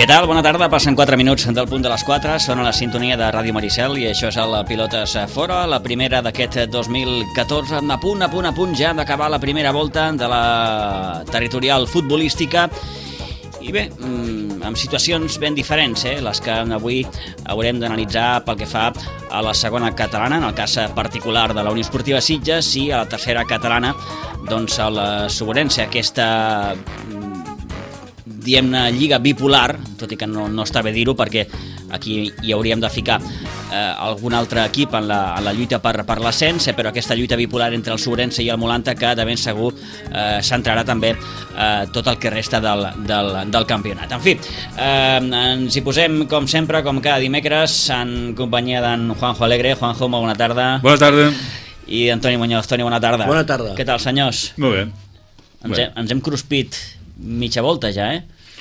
Què tal? Bona tarda, passen 4 minuts del punt de les 4, són a la sintonia de Ràdio Maricel i això és el Pilotes Fora, la primera d'aquest 2014, a punt ja d'acabar la primera volta de la territorial futbolística i bé, amb situacions ben diferents, les que avui haurem d'analitzar pel que fa a la segona catalana, en el cas particular de la Unió Esportiva Sitges, i a la tercera catalana, doncs el Suborense, aquesta diguem-ne lliga bipolar, tot i que no està bé dir-ho perquè aquí hi hauríem de ficar algun altre equip en la lluita per l'ascens, però aquesta lluita bipolar entre el Suborense i el Molanta que de ben segur centrarà també tot el que resta del campionat. En fi, ens hi posem com sempre, com cada dimecres, en companyia d'en Juanjo Alegre. Juanjo, molt bona tarda. Bona tarda. I Antoni Muñoz. Toni, bona tarda. Bona tarda. Què tal, senyors? Molt bé. Ens hem cruspit mitja volta ja,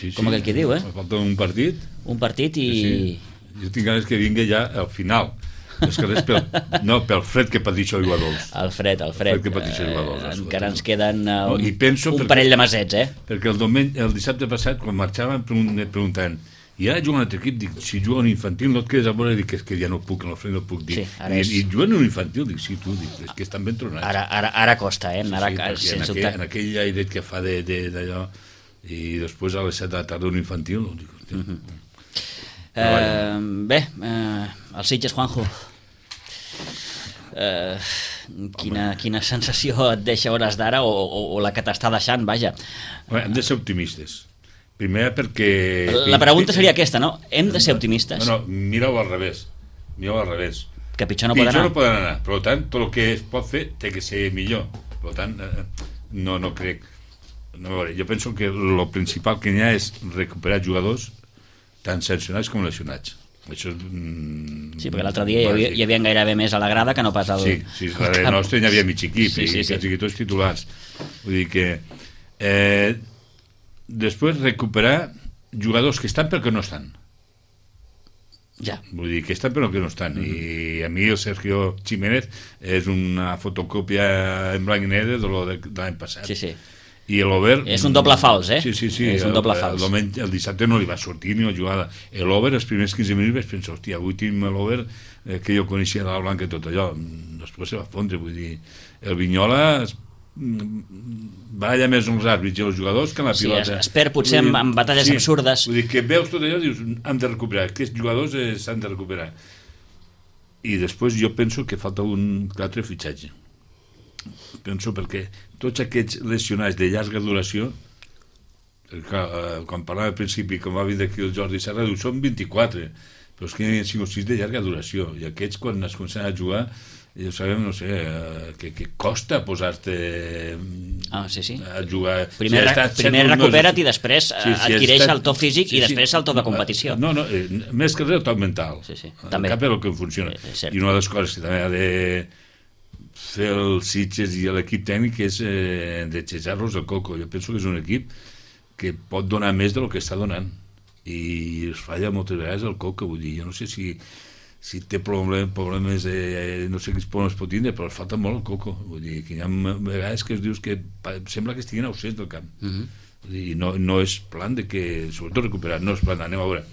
Sí, com aquell que diu, Falta un partit. Un partit i... Sí. Jo tinc ganes que vingui ja al final. És que res pel fred que pateix el jugadors. El fred. Que pateix el jugadors. Encara ens queden un un parell de mesets, Perquè el dissabte passat, quan marxàvem, preguntant i ara juga un altre equip, dic, si juga un infantil no et quedes a veure, dic, és que ja no puc, en el fred no puc dir. Sí, I juguen un infantil, dic, sí, tu, dic, és que estan ben tronats. Ara costa, Sí, en aquell airet que fa d'allò, i després a les 7 de la tarda un infantil, dic, bé, el Sitges, Juanjo, quina sensació et deixa hores d'ara o la que t'està deixant, vaja. Hem de ser optimistes. Primer perquè... La pregunta seria aquesta, no? Hem de ser optimistes? No, mira-ho al revés. Que pitjor no poden anar. Poden anar. Per tant, tot el que es pot fer té que ser millor. Per tant, no crec... No, jo penso que el principal que n'hi ha és recuperar jugadors tant sancionats com lesionats. Això és... Sí, perquè l'altre dia hi havia gairebé més a la grada que no pas al... Sí, darrere nostre hi havia mig equip i quasi tots titulars. Vull dir que... després recuperar jugadors que estan perquè no estan. Ja. Vull dir que estan però que no estan. I a mi el Sergio Jiménez és una fotocòpia en blanc i negre de l'any passat. Sí. I l'Over... És un doble fals, Sí. És un doble fals. El dissabte no li va sortir ni la jugada. L'Over, els primers 15 minuts vaig pensar, hòstia, avui tenim l'Over que jo coneixia de la Blanca i tot allò. Després se va fondre, vull dir... El Vignola va allà més uns àrbits i els jugadors que en la pilota. Es perd potser en batalles absurdes. Vull dir que veus tot allò i dius, han de recuperar. Aquests jugadors s'han de recuperar. I després jo penso que falta un altre fitxatge. Penso perquè tots aquests lesionats de llarga duració, quan parlava al principi, com va vindre aquí el Jordi Serra, diu, són 24, però és que hi ha 5 o 6 de llarga duració, i aquests quan es comencen a jugar, ja sabem, no sé, que costa posar-te a jugar. Primer recupera't i després adquireix el to físic i després el to de competició. No, més que res el to mental. També. Cap és el que funciona. I una de les coses que també ha de fer el Sitges i l'equip tècnic és deixejar-los el coco. Jo penso que és un equip que pot donar més del que està donant i es falla moltes vegades el coco, vull dir, jo no sé si té problemes no sé quins problemes pot tindre, però es falta molt el coco, vull dir, que hi ha vegades que es dius que sembla que estiguin ausents del camp. Vull dir, no és plan de que, sobretot recuperar, no és plan, anem a veure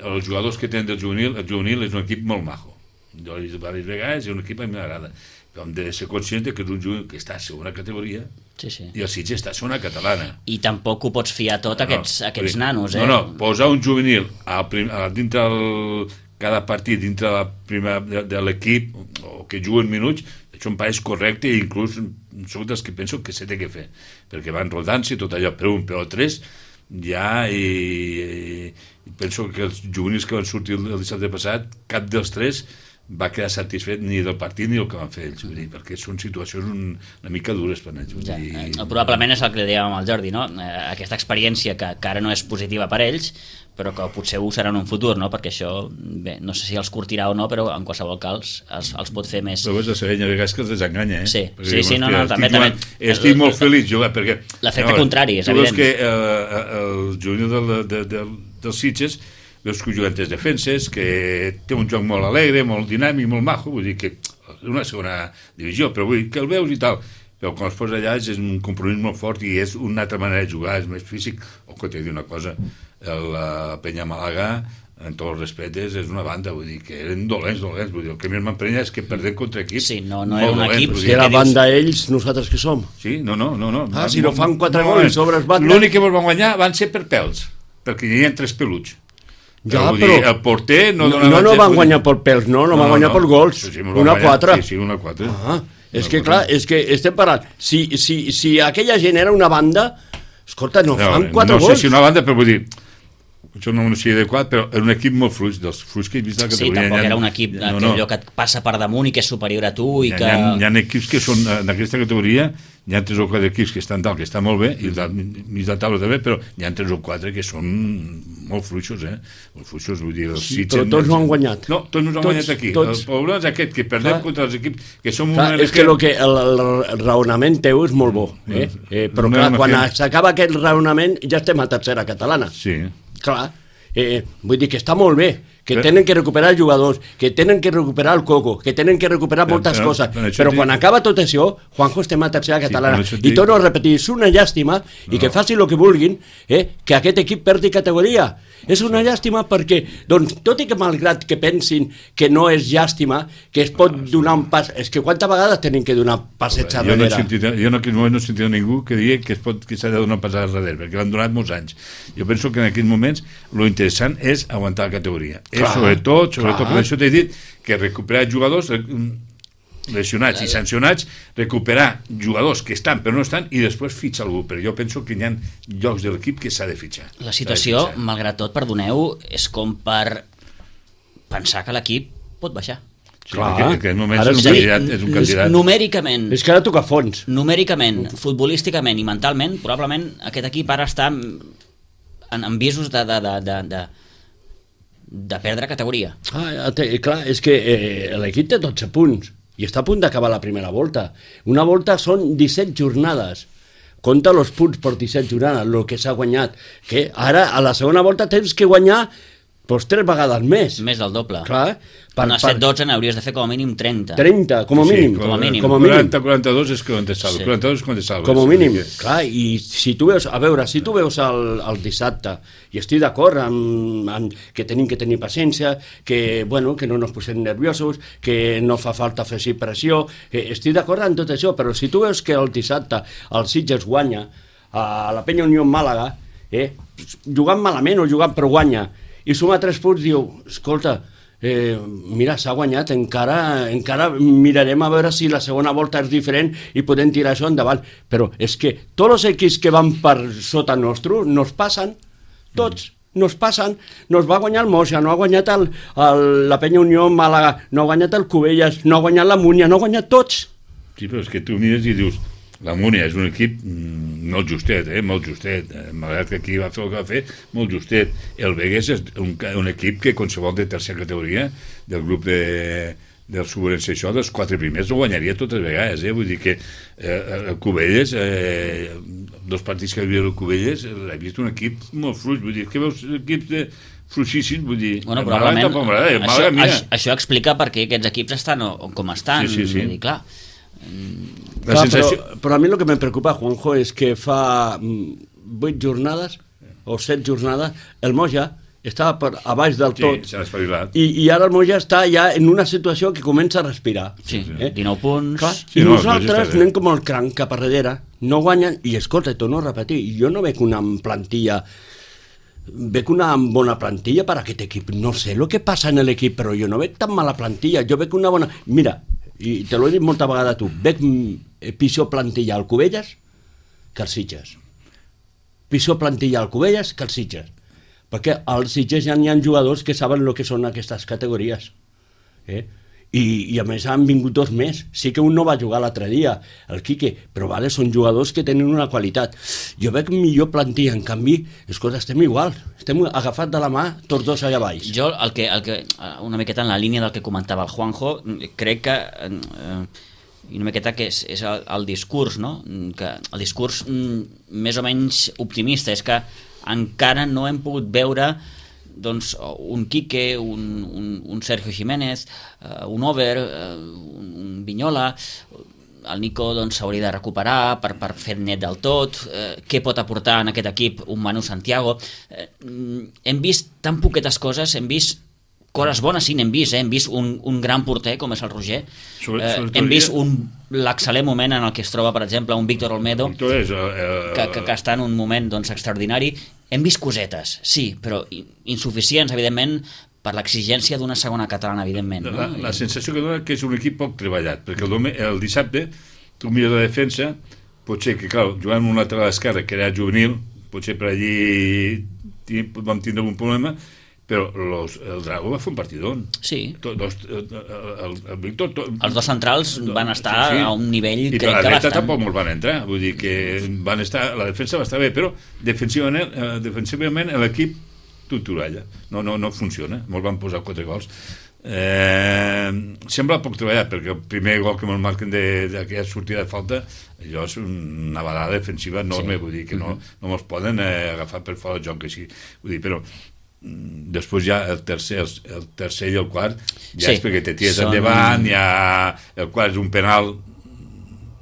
els jugadors que tenen del juvenil, el juvenil és un equip molt majo, jo he dit diverses vegades, és un equip que a mi m'agrada, però hem de ser conscients que és un jugador que està a segona categoria i el Sitges està a segona catalana. I tampoc ho pots fiar tot a aquests nanos, No, posar un juvenil dintre cada partit, dintre de l'equip, o que juguen minuts, això em pareix correcte i inclús soc dels que penso que s'ha de fer, perquè van rodant-se tot allò, però un, però tres, ja, i penso que els juvenils que van sortir el dissabte passat, cap dels tres va quedar satisfet ni del partit ni el que van fer ells, vull dir, perquè són situacions una mica dures per ells. Probablement és el que li dèiem al Jordi, no? Aquesta experiència que ara no és positiva per ells, però que potser ho serà en un futur, no? Perquè això, bé, no sé si els curtirà o no, però en qualsevol cas els pot fer més... Però és la Serenya, a vegades que els desenganya, Sí, també. Estic molt feliç, jo, perquè... L'efecte contrari, és evident. Tu veus que el juvenil dels Sitges veus que juguen tres defenses, que té un joc molt alegre, molt dinàmic, molt majo, vull dir que és una segona divisió, però vull dir que el veus i tal, però quan es posa allà és un compromís molt fort i és una altra manera de jugar, és més físic. O que t'he dit una cosa, la Penya Màlaga, en tots els respectes, és una banda, vull dir, que eren dolents, vull dir, el que més m'emprenya és que perdem contra equips. Sí, no era un equip. Si era banda ells, nosaltres que som. Sí, no. Si no fan 4 gols sobre els bandes... L'únic que van guanyar van ser per pèls, perquè hi havia 3 peluts. Ja, però el porter no donava... No van guanyar per pèls, no van guanyar per gols. 1-4. Sí, 1-4. És que clar, és que estem parlant. Si aquella gent era una banda, escolta, no fan 4 gols. No sé si una banda, però vull dir... Això no sé adequat, però era un equip molt fluix, dels fluix que he vist a la categoria. Sí, tampoc era un equip allò que et passa per damunt i que és superior a tu i que... Hi ha equips que són, en aquesta categoria, hi ha 3 o 4 equips que estan dalt, que estan molt bé, i mig de taula també, però hi ha 3 o 4 que són molt fluixos, Molt fluixos, vull dir... Sí, però tots no han guanyat. No, tots no han guanyat aquí. El problema és aquest, que perdem contra els equips que som... És que el raonament teu és molt bo, però clar, quan s'acaba aquest raonament ja estem a tercera catalana. Sí. Clar, vull dir que està molt bé, que tenen que recuperar jugadors, que tenen que recuperar el Coco, que tenen que recuperar moltes coses, però quan acaba tot això, Juanjo, estem a tercera catalana, i torno a repetir, és una llàstima, i que facin el que vulguin, que aquest equip perdi categoria. És una llàstima perquè, doncs, tot i que malgrat que pensin que no és llàstima, que es pot donar un pas... És que quantes vegades tenen que donar passets a darrere? Jo en aquell moment no he sentit ningú que digui que s'ha de donar un pas a darrere, perquè l'han donat molts anys. Jo penso que en aquells moments lo interessant és aguantar la categoria. Sobretot, per això t'he dit que recuperar jugadors lesionats i sancionats, recuperar jugadors que estan però no estan i després fitxar algú, però jo penso que hi ha llocs de l'equip que s'ha de fitxar. La situació, malgrat tot, perdoneu, és com per pensar que l'equip pot baixar. Sí, clar, en aquest moment és un candidat. Numèricament. És que ara toca fons. Numèricament, futbolísticament i mentalment, probablement aquest equip ara està en visos de perdre categoria. Clar, és que l'equip té 12 punts i està a punt d'acabar la primera volta. Una volta són 17 jornades. Compta els punts per 17 jornades, el que s'ha guanyat. Que ara, a la segona volta, tens que guanyar 3 vegades més. Més del doble. Clar. Quan has fet 12 n'hauries de fer com a mínim 30. 30, com a mínim. Com a mínim. 40-42 és quan te salves. 42 és quan te salves. Com a mínim. Clar, i si tu veus, si tu veus el dissabte, i estic d'acord amb que tenim que tenir paciència, que no ens posem nerviosos, que no fa falta fer pressió, estic d'acord amb tot això, però si tu veus que el dissabte el Sitges guanya a la Penya Unió Màlaga, jugant malament o jugant però guanya, i suma 3 punts, diu, escolta, mira, s'ha guanyat, encara mirarem a veure si la segona volta és diferent i podem tirar això endavant, però és que tots els equips que van per sota nostre nos passen, tots nos passen, nos va guanyar el Moja, no ha guanyat la Penya Unió Màlaga, no ha guanyat el Cubelles, no ha guanyat la Múnia, no ha guanyat tots. Sí, però és que tu mires i dius, la Múnia és un equip molt justet, molt justet, malgrat que aquí va fer el que va fer, molt justet. El Begues és un equip que qualsevol de tercera categoria del grup del Subvenció, això, dels 4 primers ho guanyaria totes vegades, vull dir que el Cubelles, 2 partits que havia el Cubelles, l'he vist un equip molt fluix, vull dir que veus equips fluixíssims, vull dir, probablement això explica per què aquests equips estan com estan, vull dir, clar. Però a mi el que me preocupa, Juanjo, és que fa 8 jornades o 7 jornades el Moja estava a baix del tot, i ara el Moja està ja en una situació que comença a respirar. 19 punts. Clar, i nosaltres anem com el cranc cap a darrere, no guanyen, i escolta, torno a repetir, jo no veig una plantilla, veig una bona plantilla per a aquest equip, no sé el que passa en l'equip, però jo no veig tan mala plantilla, jo veig una bona... Mira, i te l'ho he dit molta vegada a tu, veig pitjor plantilla al Cubelles que al Sitges. Pitjor plantilla al Cubelles que al Sitges. Perquè als Sitges ja hi ha jugadors que saben el que són aquestes categories. I a més han vingut 2 més. Sí que un no va jugar l'altre dia, el Quique, però són jugadors que tenen una qualitat. Jo veig millor plantilla, en canvi, escolta, estem igual, estem agafats de la mà tots 2 allà baix. Jo, el que una miqueta en la línia del que comentava el Juanjo, crec que una miqueta que és el discurs, no? Que el discurs més o menys optimista és que encara no hem pogut veure doncs un Quique, un Sergio Jiménez, un Over, un Viñola, el Nico s'hauria de recuperar per fer net del tot, què pot aportar en aquest equip un Manu Santiago. Hem vist tan poquetes coses, hem vist coses bones, sí, n'hem vist, hem vist un gran porter com és el Roger, hem vist l'excel·lent moment en el que es troba, per exemple, un Víctor Olmedo, que està en un moment extraordinari. Hem vist cosetes, sí, però insuficients, evidentment, per l'exigència d'una segona catalana, evidentment. La sensació que dona que és un equip poc treballat, perquè el dissabte tu mires la defensa, potser que, clar, jugant amb un lateral esquerre que era juvenil, potser per allí vam tindre un problema, però el Drago va fer un partidón. Sí. El Víctor... Els dos centrals van estar a un nivell, crec que bastant... I per la dreta tampoc molt van entrar, vull dir que van estar... La defensa va estar bé, però defensivament l'equip toralla. No funciona. Molts van posar 4 gols. Sembla poc treballat, perquè el primer gol que me'l marquen d'aquella sortida de falta, allò és una balada defensiva enorme, vull dir que no me'ls poden agafar per fora del joc, així. Vull dir, però després ja el tercer i el quart ja és perquè te tires endavant, ja el quart és un penal,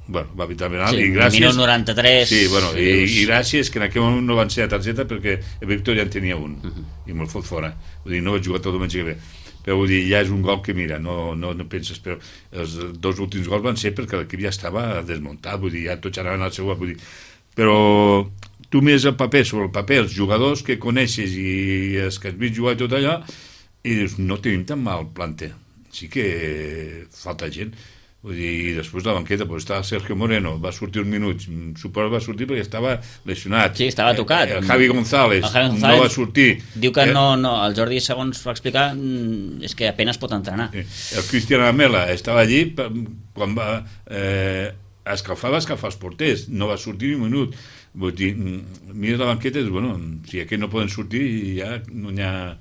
bueno, va evitar penal, i gràcies... Minut 93... Sí, bueno, i gràcies que en aquell moment no van ser a targeta perquè el Víctor ja en tenia un i me'l fot fora, vull dir, no vaig jugar tot el diumenge que ve, però vull dir, ja és un gol que mira, no penses, però els 2 últims gols van ser perquè l'equip ja estava desmuntat, vull dir, ja tots anaven al seu, vull dir, però tu mires el paper, sobre el paper, els jugadors que coneixes i els que has vist jugar i tot allò, i dius, no tenim tan mal planter, sí que falta gent. Vull dir, i després la banqueta estava Sergio Moreno, va sortir uns minuts, suposo que va sortir perquè estava lesionat. Sí, estava tocat. El Javi González no va sortir. Diu que no, el Jordi, segons va explicar, és que apenas pot entrenar. El Cristian Amela estava allí quan va escalfar els porters, no va sortir ni un minut. Vull dir, mires la banqueta i dius, bueno, si aquí no poden sortir ja no n'hi ha...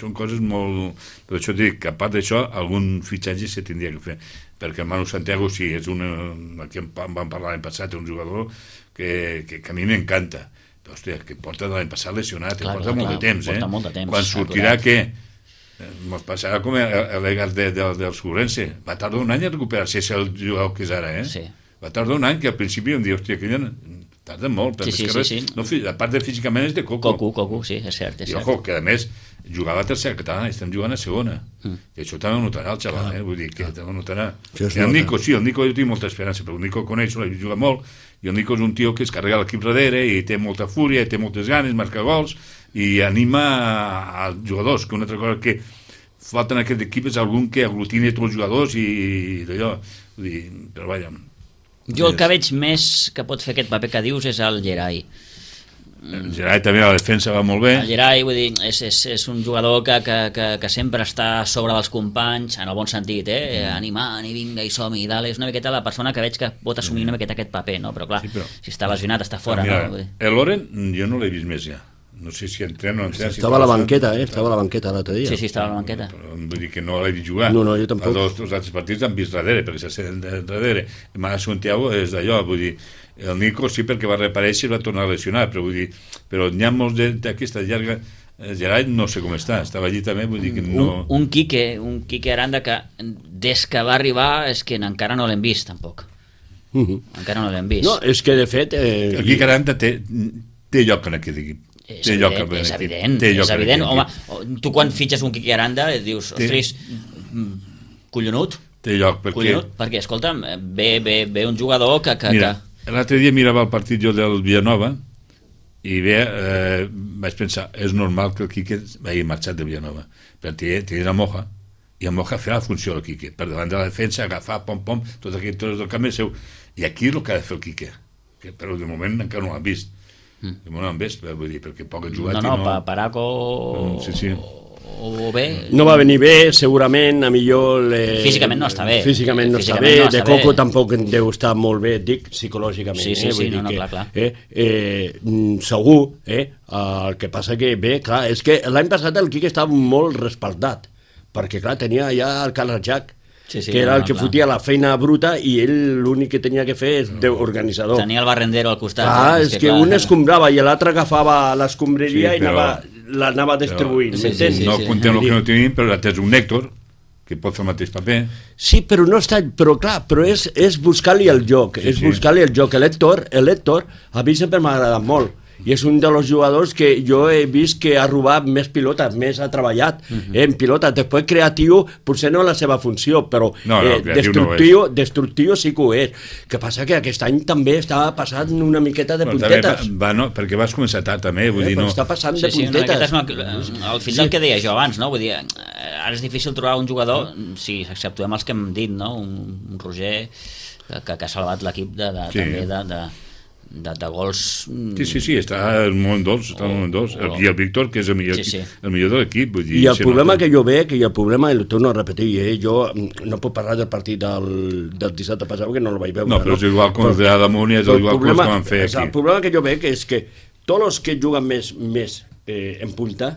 són coses molt... Per això dic que a part d'això algun fitxatge se tindria que fer, perquè el Manu Santiago sí, és aquí en vam parlar l'any passat, un jugador que a mi m'encanta, però hòstia, que porta l'any passat lesionat, porta molt de temps, quan sortirà que ens passarà com l'Egas del Surense, va tardar un any a recuperar-se, és el jugador que és ara, va tardar un any, que al principi em diu, hòstia, que tarda molt, sí. No, a part de físicament és de Coco, sí, és cert. I ojo, que a més jugava a tercera catalana i estem jugant a segona, i això també ho notarà el xaval, vull dir que també ho notarà. El Nico, sí, el Nico jo tinc molta esperança, però el Nico coneix, juga molt, i el Nico és un tio que es carrega l'equip darrere i té molta fúria, i té moltes ganes, marca gols i anima als jugadors, que una altra cosa que falta en aquest equip és algun que aglutini tots els jugadors i d'allò, vull dir, però vaja. Jo el que veig més que pot fer aquest paper que dius és el Gerai. El Gerai també a la defensa va molt bé. El Gerai, vull dir, és un jugador que sempre està a sobre dels companys, en el bon sentit, animant i vinga i som-hi i dale. És una miqueta la persona que veig que pot assumir una miqueta aquest paper, no? Però clar, si està lesionat, està fora. Mira, el Loren jo no l'he vist més ja. No sé si entrena o no entrena. Estava a la banqueta, estava a la banqueta l'altre dia. Sí, estava a la banqueta. Vull dir que no l'he vist jugar. No, jo tampoc. Els altres partits han vist darrere, perquè s'assenten darrere. El Manu Santiago és d'allò, vull dir, el Nico sí perquè va reaparèixer i va tornar a lesionar, però vull dir, però n'hi ha molts d'aquesta llarga... El Gerai no sé com està, estava allí també, vull dir que no... Un Quique Aranda que des que va arribar és que encara no l'hem vist, tampoc. Encara no l'hem vist. No, és que de fet... El Quique Aranda té lloc en aquest equip. És evident. Home, tu quan fitxes un Quique Aranda dius, ostres, collonut. Té lloc, perquè escolta'm, ve un jugador que... Mira, l'altre dia mirava el partit jo del Villanova i vaig pensar, és normal que el Quique hagi marxat de Villanova, perquè tenia Moja, i el Moja feia la funció del Quique, per davant de la defensa, agafar, pom, tot aquell tros del camp seu, i aquí és el que ha de fer el Quique, però de moment encara no l'han vist. No han vist, vull dir, perquè poc han jugat. Paraco o bé... No va venir bé, segurament, a millor... Físicament no està bé. Físicament no està bé, de Coco tampoc deu estar molt bé, dic, psicològicament. Sí, clar. Segur, el que passa que, bé, clar, és que l'any passat el Quique estava molt respaldat, perquè, clar, tenia ja el Carles Jack, que era el que fotia la feina bruta i ell l'únic que tenia que fer és d'organitzador. Tenia el barrendero al costat. És que un escombrava i l'altre agafava l'escombraria i l'anava distribuint. No contem el que no tenim, però l'altre és un Nèctor, que pot fer el mateix paper. Sí, però no està... Però clar, però és buscar-li el joc. Sí, és buscar-li el joc. L'Héctor, a mi sempre m'ha agradat molt. I és un dels jugadors que jo he vist que ha robat més pilotes, més ha treballat en pilotes. Després creatiu, potser no la seva funció, però destructiu sí que ho és. Que passa que aquest any també està passant una miqueta de puntetes. Perquè vas començar tard també, vull dir, no... Està passant de puntetes. Al final del que deia jo abans, no? Vull dir, ara és difícil trobar un jugador, si exceptuem els que hem dit, no? Un Roger que ha salvat l'equip també de gols... Sí, està molt dolç, i el Víctor, que és el millor de l'equip. I el problema que jo veig, i el problema, i ho torno a repetir, jo no puc parlar del partit del dissabte passat, que no el vaig veure. No, però és igual com el de Adamunt i és igual com els que van fer aquí. El problema que jo veig és que tots els que juguen més en punta,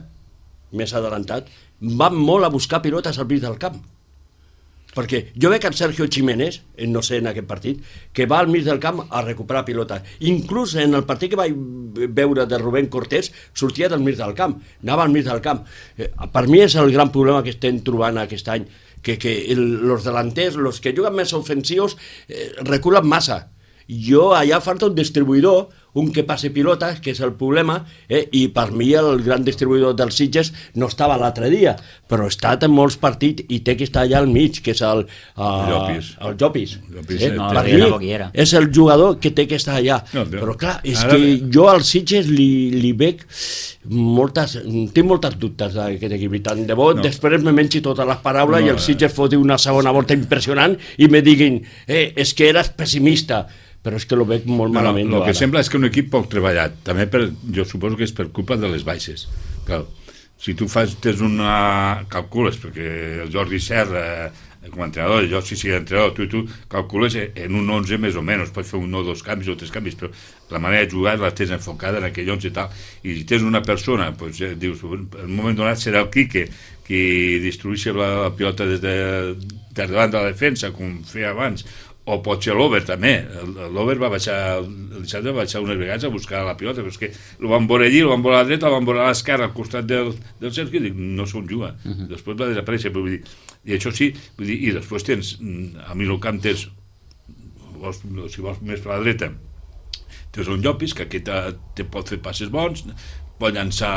més adelantat, van molt a buscar pilotes al mig del camp. Perquè jo veig el Sergio Jiménez, no sé en aquest partit, que va al mig del camp a recuperar pilota. Inclús en el partit que vaig veure de Rubén Cortés, sortia del mig del camp, anava al mig del camp. Per mi és el gran problema que estem trobant aquest any, que els delanters, els que juguen més ofensius, reculen massa. Allà falta un distribuïdor, un que passe pilotes, que és el problema, i per mi el gran distribuïdor dels Sitges no estava l'altre dia, però ha estat en molts partits i té que estar allà al mig, que és el Llopis. Per mi és el jugador que té que estar allà. Però clar, és que jo als Sitges li veig tinc moltes dubtes d'aquest equip, i tant de bo després me mengi totes les paraules i el Sitges foti una segona volta impressionant i me diguin, és que eres pessimista, però és que lo veig molt malament. El que sembla és que un equip poc treballat, també jo suposo que és per culpa de les baixes. Clar, si tu calcules, perquè el Jordi Serra com a entrenador, jo si sigui entrenador, tu calcules en un 11 més o menys, pots fer un o dos canvis o tres canvis, però la manera de jugar la tens enfocada en aquell 11 i tal, i si tens una persona, dius, en un moment donat serà el Quique qui distribueixi la pilota des davant de la defensa, com feia abans, o pot ser l'Over també. L'Over va baixar unes vegades a buscar la pilota, però és que el van veure allí, el van veure a la dreta, el van veure a l'esquerra al costat del Sergio, i dic, no s'on juga. Després va desaparèixer, però vull dir, i això sí, i després tens, a mi el camp tens, si vols més per la dreta, tens un Llopis, que aquest te pot fer passes bons, pot llançar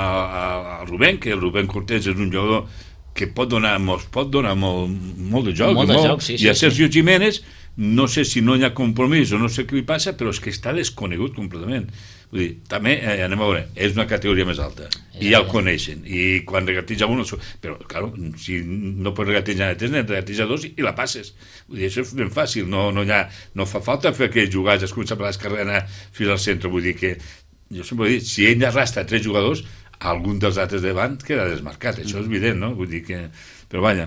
al Rubén, que el Rubén Cortés és un jugador que pot donar molt de joc, i a Sergio Jiménez no sé si no hi ha compromís o no sé què li passa, però és que està desconegut completament. Vull dir, també, anem a veure, és una categoria més alta, i ja el coneixen, i quan regatitja un, però, clar, si no pots regatitjar a 3, regatitja a 2 i la passes. Vull dir, això és ben fàcil, no fa falta fer aquells jugats, es comença per l'esquerra i anar fins al centre. Vull dir que, jo sempre he dit, si ell arrastra 3 jugadors, algun dels altres davant queda desmarcat, això és evident, no? Vull dir que... Però vaja,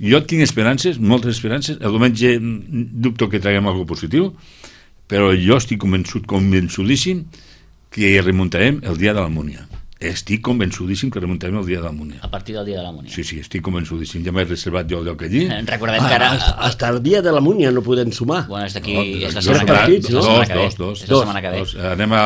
jo tinc esperances, moltes esperances. El diumenge dubto que traguem alguna cosa positiu, però jo estic convençudíssim que remuntarem el dia de l'Almúnia. Estic convençudíssim que remuntarem el dia de l'Almúnia. A partir del dia de l'Almúnia. Sí, estic convençudíssim. Ja m'he reservat jo el lloc allí. Recordem que ara... Hasta el dia de l'Almúnia no podem sumar. Bueno, és d'aquí... És la setmana que ve. Dos. És la setmana que ve. Anem a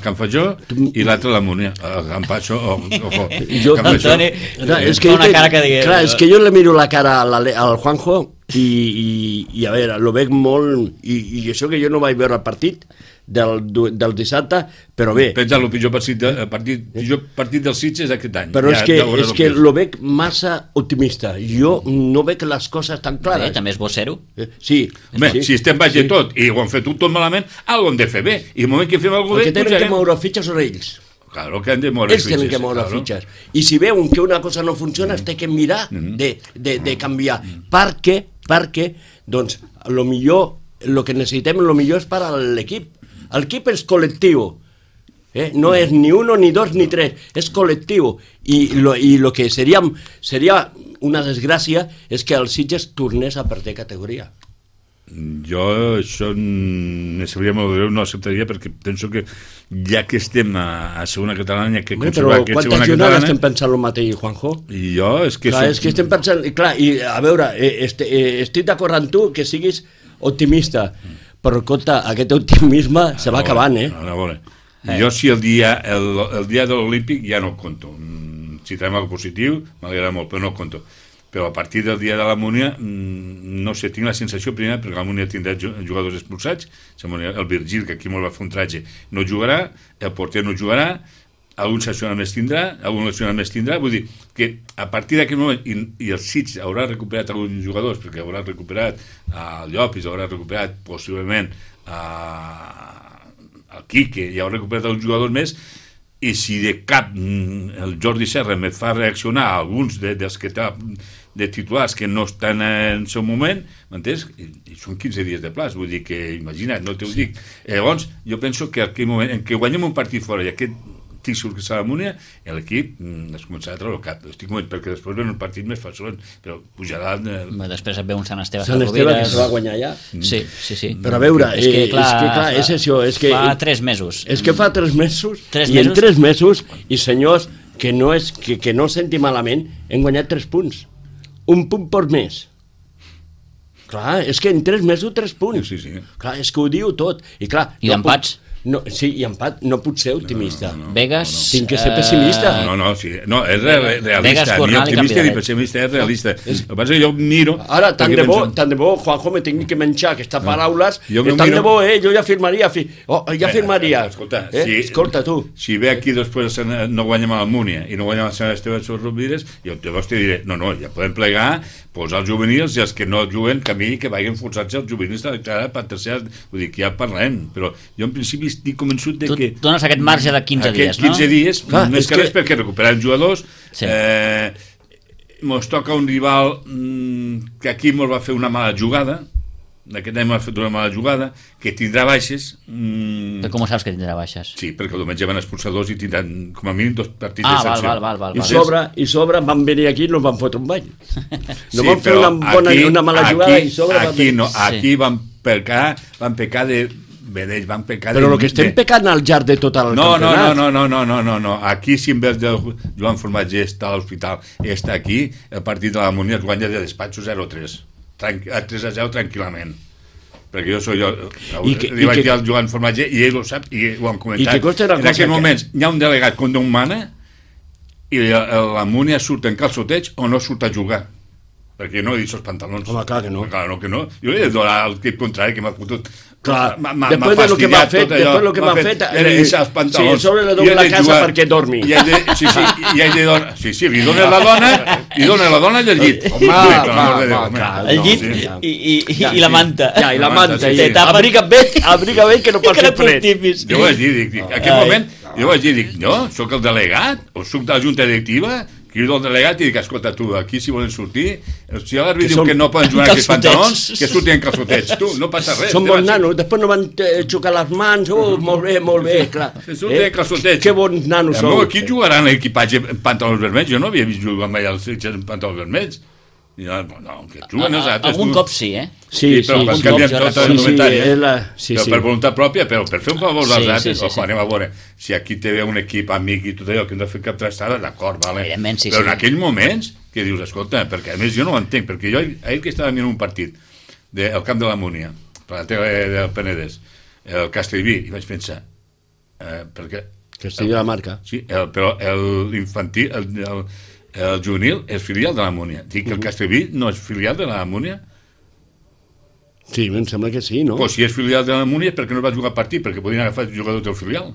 Can Fajó i l'altre a l'Almúnia. A Can Pacho o Antoni, fa una cara que digui... Clar, és que jo le miro la cara al Juanjo i a veure, lo veig molt... I això que jo no vaig veure el partit del dissabte, però bé... Pensa el pitjor partit dels Sitges aquest any. Però és que lo veig massa optimista. Jo no veig les coses tan clares. També és bo ser-ho. Sí. Si estem baix de tot i ho han fet tot malament, algo hem de fer bé. I el moment que fem alguna cosa bé... El que tenen que moure fitxes són ells. Claro que han de moure fitxes. Ells tenen que moure fitxes. I si veuen que una cosa no funciona, es té que mirar de canviar. Perquè, doncs, lo que necessitem, lo millor és per a l'equip. L'equip és col·lectiu, no és ni 1, ni 2, ni 3, és col·lectiu, i lo que seria una desgràcia és que el Sitges tornés a perder categoria. Jo això no acceptaria, perquè penso que ja que estem a segona catalana, que però quantes jornades estem pensant el mateix, Juanjo? I jo és que estem pensant, clar, i a veure, estic d'acord amb tu que siguis optimista, però compte, aquest optimisme se va acabant, A veure. Jo si el dia de l'Olímpic ja no conto. Si traiem algo positiu, m'agrada molt, però no conto. però a partir del dia de la Múnia no sé, tinc la sensació primera perquè la Múnia tindrà jugadors expulsats, el Virgil, que aquí molt va fer un tratge, no jugarà, el porter no jugarà, algun sancionat més tindrà, vull dir que a partir d'aquest moment, i el Sitges haurà recuperat alguns jugadors, perquè haurà recuperat el Llopis, haurà recuperat possiblement el Quique, i haurà recuperat alguns jugadors més, i si de cap el Jordi Serra me fa reaccionar a alguns dels que té de titulars que no estan en el seu moment, m'entens? I són 15 dies de plaç, vull dir que, imagina't, no t'ho dic. Llavors, jo penso que aquell moment en què guanyem un partit fora i aquest títol que s'ha la Múnia, l'equip es començarà a treure el cap. Estic convenç, perquè després ven un partit més fàcil, però pujarà... Després et ve un Sant Esteve. Sant Esteve que se va guanyar ja. Sí. Però a veure, és que clar, és això. Fa 3 mesos. És que fa 3 mesos, i en 3 mesos, i senyors, que no senti malament, hem guanyat 3 punts. Un punt per mes. Clar, és que en 3 mesos 3 punts. Sí. Clar, és que ho diu tot. I clar... I d'empats? Sí, i empat, no puc ser optimista. Vegas... Tinc que ser pessimista. No, és realista. Ni optimista ni pessimista, és realista. El que passa és que jo miro... Ara, tant de bo, Juanjo, me tinc que menjar aquestes paraules, tant de bo, jo ja firmaria. Escolta, escolta, tu. Si ve aquí després no guanyem a la Múnia i no guanyem a Sant Esteve de Rovires, jo llavors te diré, no, ja podem plegar, posar els juvenils i els que no juguen camí que vagin forçats els juvenils a declarar per tercera, vull dir que ja parlem, però jo en principi estic convençut de que... Tu dones aquest marge de 15 dies, no? Aquests 15 dies, més que res perquè recuperem jugadors, mos toca un rival que aquí mos va fer una mala jugada, aquest any m'ha fet una mala jugada, que tindrà baixes... Però com saps que tindrà baixes? Sí, perquè el diumenge van expulsar 2 i tindran com a mínim 2 partits de sanció. Val. I sobre van venir aquí i no van fotre un bany. No van fer una mala jugada i sobre van venir. Aquí van pecar de... Però el que estem pecant al llarg de tot el campionat... No. Aquí, si en vez de Joan Formatger està a l'hospital i està aquí, el partit de la Múnia es guanya de despatxo 0-3. A 3-0 tranquil·lament, perquè jo li vaig dir al Joan Formatger i ell ho sap i ho han comentat. En aquest moment hi ha un delegat com Déu mana i la Múnia surt en calçoteig o no surt a jugar, perquè no he dit els pantalons. Home, clar que no. Jo li he de donar al equip contrari que m'ha fotut. Clar, després de lo que m'ha fet, sí, sobre le dono la casa perquè dormi. Sí, li dona la dona i el llit. El llit i la manta. I la manta. Abriga bé que no pot ser fred. Jo vaig dir, en aquest moment, no, soc el delegat, o soc de la junta directiva, crido el delegat i dic, escolta, tu, aquí si volen sortir, si l'àrbitre diu que no poden jugar aquests pantalons, que surtin en calçotets, tu, no passa res. Són bons nanos, després no van xocar les mans, molt bé, clar. Que surtin en calçotets. Que bons nanos són. No, aquí jugaran l'equipatge en pantalons vermells, jo no havia vist jugar mai els Sitges en pantalons vermells. No, que juguen els altres. Algun cop sí, Sí, però van canviant tota la indumentària. Sí. Per voluntat pròpia, però per fer un favor dels altres, anem a veure, si aquí té un equip amic i tot allò, que hem de fer cap trastada, d'acord, vale. Però en aquells moments, que dius, escolta, perquè a més jo no ho entenc, perquè jo ahir que estava mirant un partit del camp de la Múnia, per la tele del Penedès, el Castellví, i vaig pensar, perquè... Castellví de la Marca. Sí, però l'infantil, el juvenil és filial de la Múnia. Dic que el Castellví no és filial de la Múnia? Sí, em sembla que sí, no? Pues si és filial de la Múnia, per què no va jugar partit? Perquè podien agafar jugadors del filial.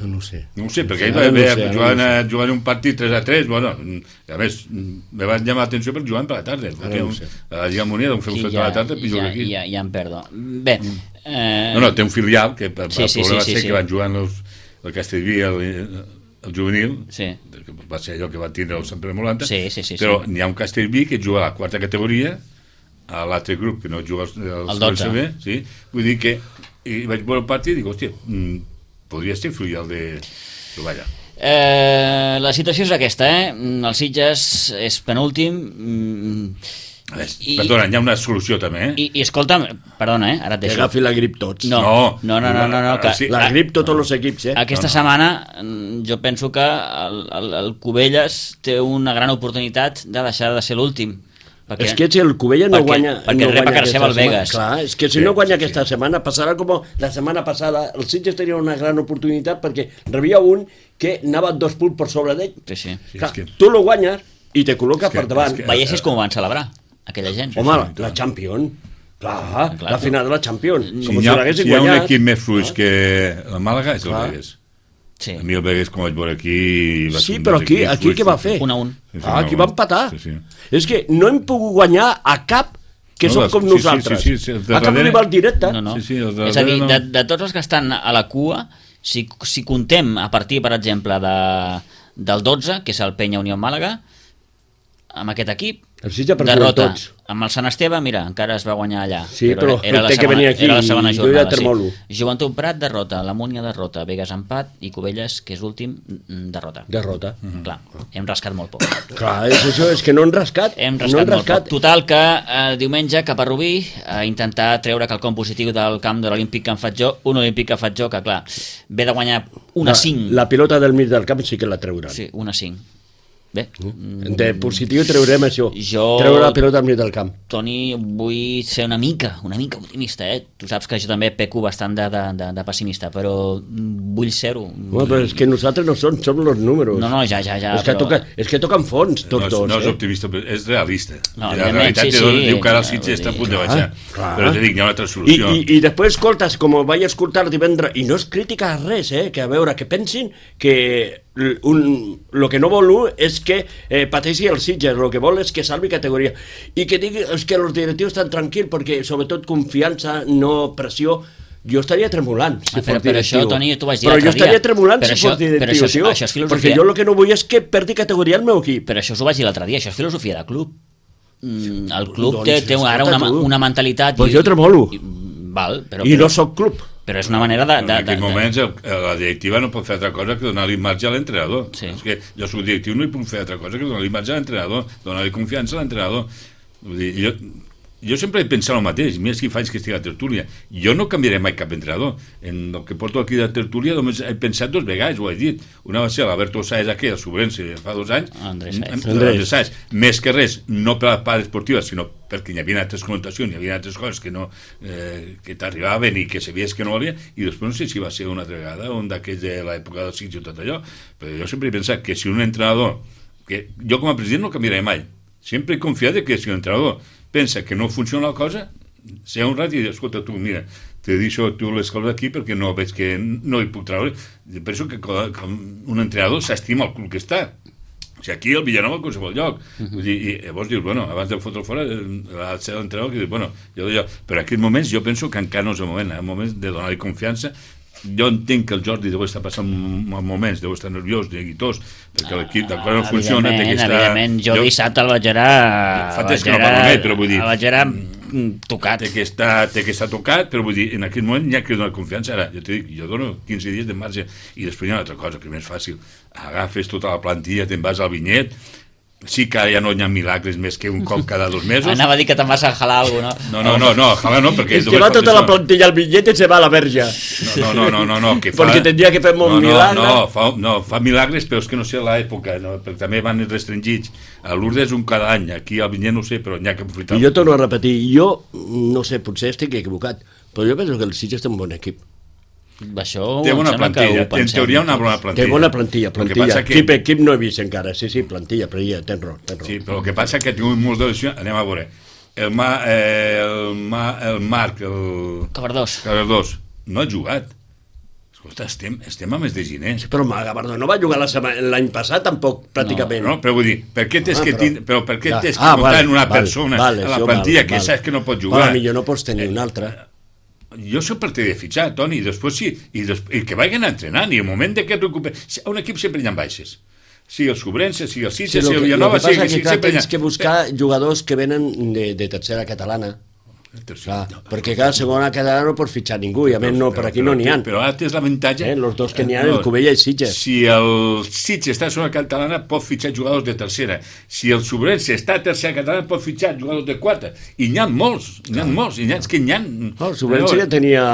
No ho sé. No ho sé, perquè ell va jugant un partit 3-3, bueno, a més, me va llamar l'atenció per jugar per la tarda. La Lliga Múnia deu fer un fet per la tarda i jugar aquí. Ja em perdo. Bé... No, té un filial, que el problema va ser que van jugant el Castellví, el juvenil, que va ser allò que va tindre el Sant Pere Molanta, però n'hi ha un Castellví que juga a la 4ª categoria, a l'altre grup que no juga el 12. Vull dir que vaig veure el partit i dic, hòstia, podria ser filial de Valla. La situació és aquesta, el Sitges és penúltim. Perdona, hi ha una solució també, I escolta'm, perdona, ara et deixo. Que agafi la grip tots. No, la grip tots els equips, Aquesta setmana jo penso que el Cubelles té una gran oportunitat de deixar de ser l'últim. És que si el Cubelles no guanya... Perquè rep a casa seva el Vegas. Clar, és que si no guanya aquesta setmana, passarà com la setmana passada. El Sitges tenia una gran oportunitat perquè rebia un que anava 2 punts per sobre d'ell. Sí. Clar, tu lo guanyes i te col·loca per davant. Veiessis com ho van celebrar, aquella gent. Home, la Champions. Clar, la final de la Champions. Si hi ha un equip més fluix que la Màlaga és el Begues. Sí. A mi el Begues, com vaig veure aquí... Sí, però aquí què va fer? 1-1. Aquí va empatar. És que no hem pogut guanyar a cap que som com nosaltres. A cap rival directe. És a dir, de tots els que estan a la cua, si contem a partir, per exemple, del 12, que és el Penya Unió Màlaga, amb aquest equip, derrota. Amb el Sant Esteve, mira, encara es va guanyar allà. Sí, però té que venir aquí. Era la segona jornada, sí. Joventut Prat, derrota. La Múnia, derrota. Begues, empat. I Cubelles, que és l'últim, derrota. Clar, hem rascat molt poc. Clar, és això, és que no hem rascat. Hem rascat molt poc. Total, que diumenge cap a Rubí, a intentar treure quelcom positiu del camp de l'Olímpic que en faig jo, un Olímpic que faig jo, que clar, ve de guanyar 1-5. La pilota del mig del camp sí que la treuran. Sí, 1-5. Bé. De positiu treurem això. Treure la pilota al mig del camp. Toni, vull ser una mica optimista, Tu saps que jo també peco bastant de pessimista, però vull ser-ho. No, però és que nosaltres no som els números. No, ja. És que toquen fons, tots dos. No és optimista, és realista. No, la realitat diu que ara el Sitges està a punt de baixar. Però te dic, hi ha una altra solució. I després escoltes, com vaig escoltar divendres, i no és crítica a res, que a veure, que pensin que el que no vol és que pateixi el Sitges, el que vol és que salvi categoria i que digui que els directius estan tranquils perquè sobretot confiança, no pressió. Jo estaria tremolant si fos directiu. Però això, Toni, tu vas dir però jo estaria tremolant si fos directiu, perquè jo el que no vull és que perdi categoria el meu equip. Però això us ho vaig dir l'altre dia, això és filosofia de club. El club té ara una mentalitat... Doncs jo tremolo. I no soc club. Però és una manera de... En aquests moments la directiva no pot fer altra cosa que donar-li marge a l'entrenador. És que jo soc directiu, no hi puc fer altra cosa que donar-li marge a l'entrenador, donar-li confiança a l'entrenador. Vull dir, jo sempre he pensat el mateix, mira si faig que estigui a tertúlia. Jo no canviaré mai cap entrenador. En el que porto aquí de tertúlia només he pensat 2 vegades, ho he dit. Una va ser l'Alberto Sáez aquí, el Sobrense, fa 2 anys. Andrés Sáez. Més que res, no per la part esportiva, sinó perquè hi havia altres connotacions, hi havia altres coses que t'arribaven i que sabies que no volia, i després no sé si va ser una altra vegada, un d'aquells de l'època del Sitges i tot allò, però jo sempre he pensat que si un entrenador, que jo com a president no canviaré mai, sempre he confiat que si un entrenador pensa que no funciona la cosa, ser honrat i dir, escolta, tu, mira, te deixo tu les coses aquí perquè no veig que no hi puc treure. Penso que un entrenador s'estima el club que està. O sigui, aquí el Villanova a qualsevol lloc. Vull dir, i llavors dius, bueno, abans de fotre fora ha de ser l'entrenador que dius, bueno, però en aquests moments jo penso que encara no és el moment de donar-li confiança. Jo entenc que el Jordi deu estar passant moments, deu estar nerviós, neguitós, perquè l'equip d'acord no funciona. Evidentment, jo dissabte el vaig veure tocat. Té que estar tocat, però vull dir, en aquell moment hi ha que donar confiança. Ara, jo t'he dit, jo dono 15 dies de marge, i després hi ha una altra cosa que és més fàcil. Agafes tota la plantilla, te'n vas al Vinyet. Sí que ja no hi ha milagres més que un cop cada 2 mesos. Anava a dir que te'n vas a jalar alguna cosa, no? No, jalar no, perquè... És que va tota la plantilla al Vinyet i se va a la verge. No, que fa... Perquè tindria que fer molt milagres. No, fa milagres, però és que no sé l'època, perquè també van restringits. A Lourdes un cada any, aquí al Vinyet no sé, però n'hi ha que aprofitar. I jo torno a repetir, jo no sé, potser estic equivocat, però jo penso que el Sitges té un bon equip. Això té bona plantilla, en teoria una bona plantilla. Té bona plantilla. Equip no he vist encara, sí, plantilla, però ja tens raó. Sí, però el que passa és que tinc molts de lesions, anem a veure. El Marc, el Cabardós, no ha jugat. Escolta, estem a mes de gener. Sí, però Gavardó no va jugar l'any passat tampoc, pràcticament. No, però vull dir, per què tens que notar en una persona a la plantilla que saps que no pot jugar? Millor no pots tenir una altra. Jo soc partidari de fitxar, Toni, i després sí, i que vagin entrenant, i el moment que et recuperes... A un equip sempre hi ha baixes. Sigui el Sobrense, sigui el Sitges, sigui el Villanova... El que passa és que tens que buscar jugadors que venen de tercera catalana. Perquè cada segona catalana no pots fitxar ningú, i a més no, per aquí no n'hi ha. Però ara tens l'avantatge... Els dos que n'hi ha, el Cubella i Sitges. Si el Sitges està a segona catalana, pot fitxar jugadors de tercera. Si el Sobrense està a tercera catalana, pot fitxar jugadors de quarta. I n'hi ha molts, i n'hi ha, és que n'hi ha... El Sobrense ja tenia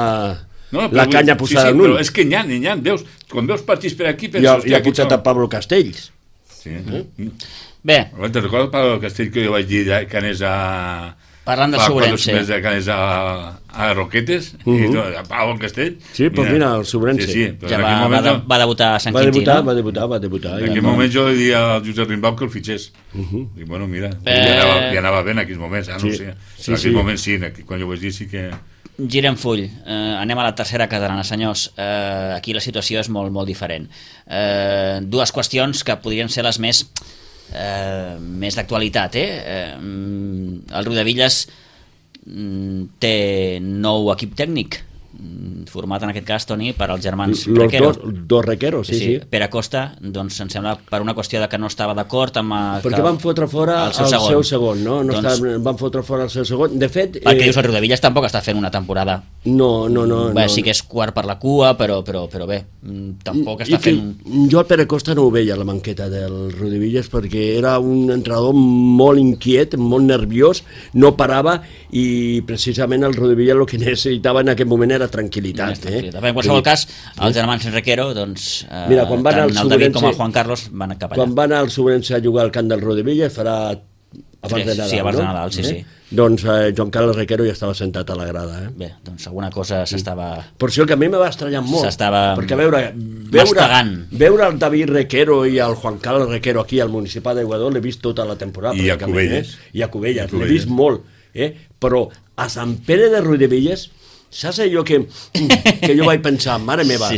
la canya posada en un. Però és que n'hi ha, veus, quan veus partits per aquí... I ha posat a Pablo Castells. Sí. Bé. Te'n recordes Pablo Castells que jo vaig dir que anés a Parlant de fa 4 Sobrense. mesos de canes a Roquetes, i a Pau al Castell. Sí, doncs mira, el Sobrense. Sí, però Ja en aquell moment... va debutar a Sant Va Quintí, no? debutar. En aquell moment jo li dia al Josep Rimbau que el fitxés. I bueno, mira, li anava bé en aquells moments, no sé. En aquell moment sí, quan jo ho vaig dir sí que... Girem full, anem a la tercera catalana, senyors. Aquí la situació és molt, molt diferent. Dues qüestions que podrien ser les més d'actualitat. El Riudevilles té nou equip tècnic, format en aquest cas, Toni, per als germans Requero. Dos Requero, sí. Pere Costa, doncs em sembla per una qüestió de que no estava d'acord amb... Perquè van fotre fora el seu segon, no? Van fotre fora el seu segon. De fet... Perquè dius, el Riudevilles tampoc està fent una temporada... No. Sí que és quart per la cua, però bé, tampoc està fent... Jo el Pere Costa no ho veia, la banqueta del Riudevilles, perquè era un entrenador molt inquiet, molt nerviós, no parava, i precisament el Riudevilles el que necessitava en aquest moment era tranquil·litat. En qualsevol cas, els germans Requero, doncs, mira, quan van tant el David com el Juan Carlos van cap allà. Quan van al Sobrense a jugar al camp del Riudevilles, farà abans de Nadal, sí, abans de Nadal, sí. Doncs Joan Carles Requero ja estava sentat a la grada. Bé, doncs alguna cosa s'estava... Per això que a mi me va estranyar molt. S'estava perquè veure el David Requero i el Juan Carles Requero aquí al Municipal d'Aiguador l'he vist tota la temporada. I a Cubelles. I a Cubelles, l'he vist molt. Però a Sant Pere de Riudevilles, saps allò que jo vaig pensar, mare meva,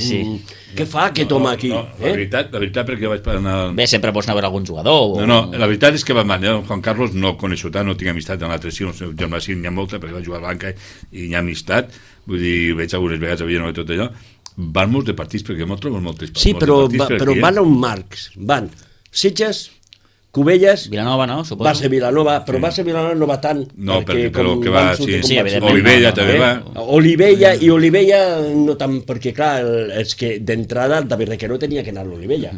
què fa aquest home aquí? La veritat, perquè vaig anar... Bé, sempre pots anar a veure algun jugador. No, la veritat és que Juan Carlos no coneixo tant, no tinc amistat en l'altre sí, el seu germà sí, n'hi ha molta, perquè va jugar a Blanca i n'hi ha amistat, vull dir, veig algunes vegades a Villanueva i tot allò, van molts de partits, perquè m'ho troben moltes partits. Sí, però van a un marcs, van Sitges, Cubelles, Vilanova, no? Suposo. Va ser Vilanova, però va ser Vilanova no va tant. No, perquè que va, sí, evidentment. Olivella també va. Olivella no tant, perquè clar, és que d'entrada el David Requero tenia que anar a l'Olivella.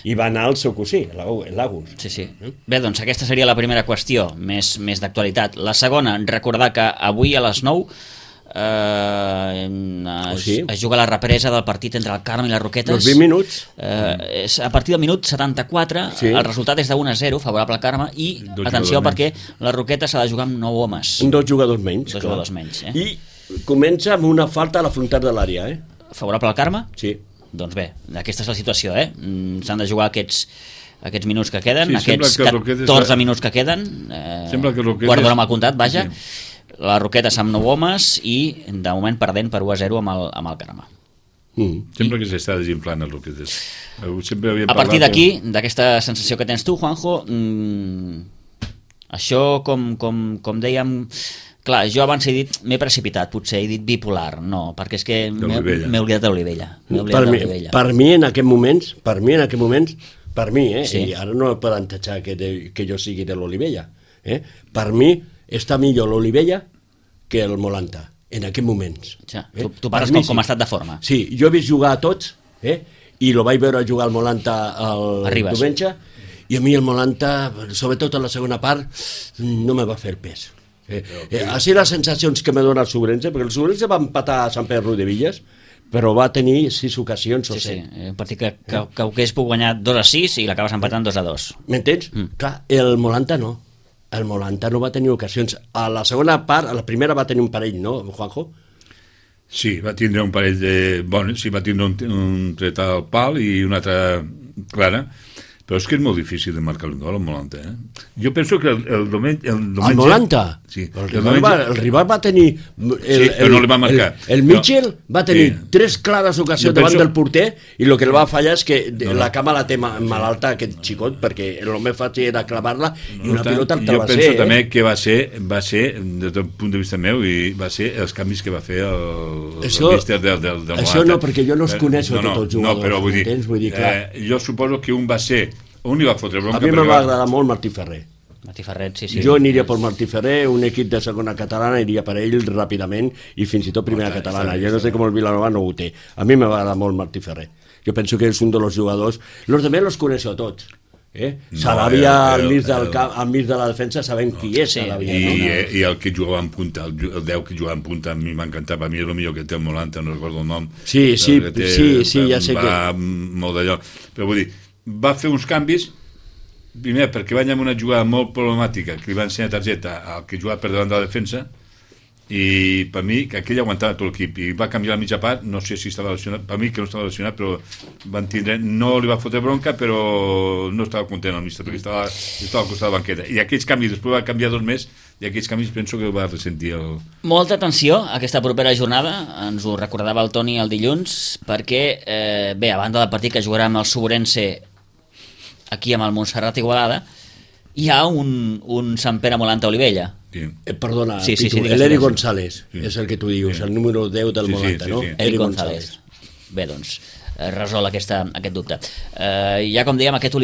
I va anar al seu cosí, l'Agus. Sí. Bé, doncs aquesta seria la primera qüestió, més d'actualitat. La segona, recordar que avui a les 9 es juga la represa del partit entre el Carme i les Roquetes. Els 20 minuts. A partir del minut 74 el resultat és de 1-0 favorable al Carme i, atenció, perquè la Roqueta s'ha de jugar amb 9 homes. 2 jugadors menys. I comença amb una falta a la frontal de l'àrea. Favorable al Carme? Sí. Doncs bé, aquesta és la situació. S'han de jugar aquests minuts que queden, aquests 14 minuts que queden, quart d'hora amb el comptat, vaja. La Roquetes amb 9 homes i de moment perdent per 1-0 amb el Carme. Sempre que s'està desinflant el Roquetes. A partir d'aquí, d'aquesta sensació que tens tu, Juanjo, això com dèiem, clar, jo abans he dit m'he precipitat, potser he dit bipolar, no, perquè és que m'he oblidat de l'Olivella. Per mi en aquests moments, i ara no poden tatxar que jo sigui de l'Olivella, per mi està millor l'Olivella que el Molanta, en aquests moments. Tu parles com ha estat de forma. Sí, jo he vist jugar a tots, i lo vaig veure jugar al Molanta el diumenge, i a mi el Molanta, sobretot en la segona part, no me va fer pes. Així les sensacions que me dona el Sobrense, perquè el Sobrense va empatar a Sant Pere Riudevilles, però va tenir 6 ocasions o 7. Sí, un partit que hagués pogut guanyar 2-6 i l'acabes empatant 2-2. M'entens? Clar, el Molanta no. El Molanta no va tenir ocasions. A la segona part, a la primera va tenir un parell, no, Juanjo? Sí, va tindre un parell de... Bueno, sí, va tindre un tret al pal i una altra clara, però és que és molt difícil de marcar un gol al Molanta, Jo penso que el diumenge... El Molanta? Sí. El rival va tenir... Sí, però no li va marcar. El Mitchell va tenir 3 clares ocasions davant del porter i el que el va fallar és que la cama la té malalta aquest xicot, perquè el més fàcil era clavar-la i una pilota te va ser. Jo penso també que va ser, des del punt de vista meu, i va ser els canvis que va fer el míster del Molanta. Això no, perquè jo no els coneixo tots els jugadors. No, però vull dir, jo suposo que un va ser... On hi va fotre bronca? A mi me va agradar molt Martí Ferrer. Martí Ferrer, sí. Jo aniria per Martí Ferrer, un equip de segona catalana iria per ell ràpidament i fins i tot primera catalana. Jo no sé com el Vilanova no ho té. A mi me va agradar molt Martí Ferrer. Jo penso que és un dels jugadors... Los demés los coneixo tots. Saràbia al mig de la defensa sabem qui és Saràbia. I el que jugava en punta, el 10 que jugava en punta, a mi m'encantava. A mi és el millor que té el Molanta, no recordo el nom. Sí, ja sé que... Va molt d'allò. Però vull dir, va fer uns canvis primer, perquè van amb una jugada molt problemàtica, que li van ensenyar targeta al que jugava per davant de la defensa, i per mi que aquell aguantava tot l'equip i va canviar la mitja part, no sé si estava lesionat, per mi que no estava lesionat, però van tindre, no li va fotre bronca, però no estava content el míster perquè estava al costat de la banqueta, i aquells canvis, després va canviar 2 més, i aquells canvis penso que ho va ressentir Molta atenció a aquesta propera jornada, ens ho recordava el Toni el dilluns, perquè bé, a banda del partit que jugarà amb el Sobrense aquí amb el Montserrat Igualada, hi ha un Sant Pere Molanta Olivella. Sí. Perdona, sí, l'Eri González, és el que tu dius, el número 10 del Molanta, no? Eri González. Bé, doncs, resol aquest dubte. Hi ha, com dèiem, aquest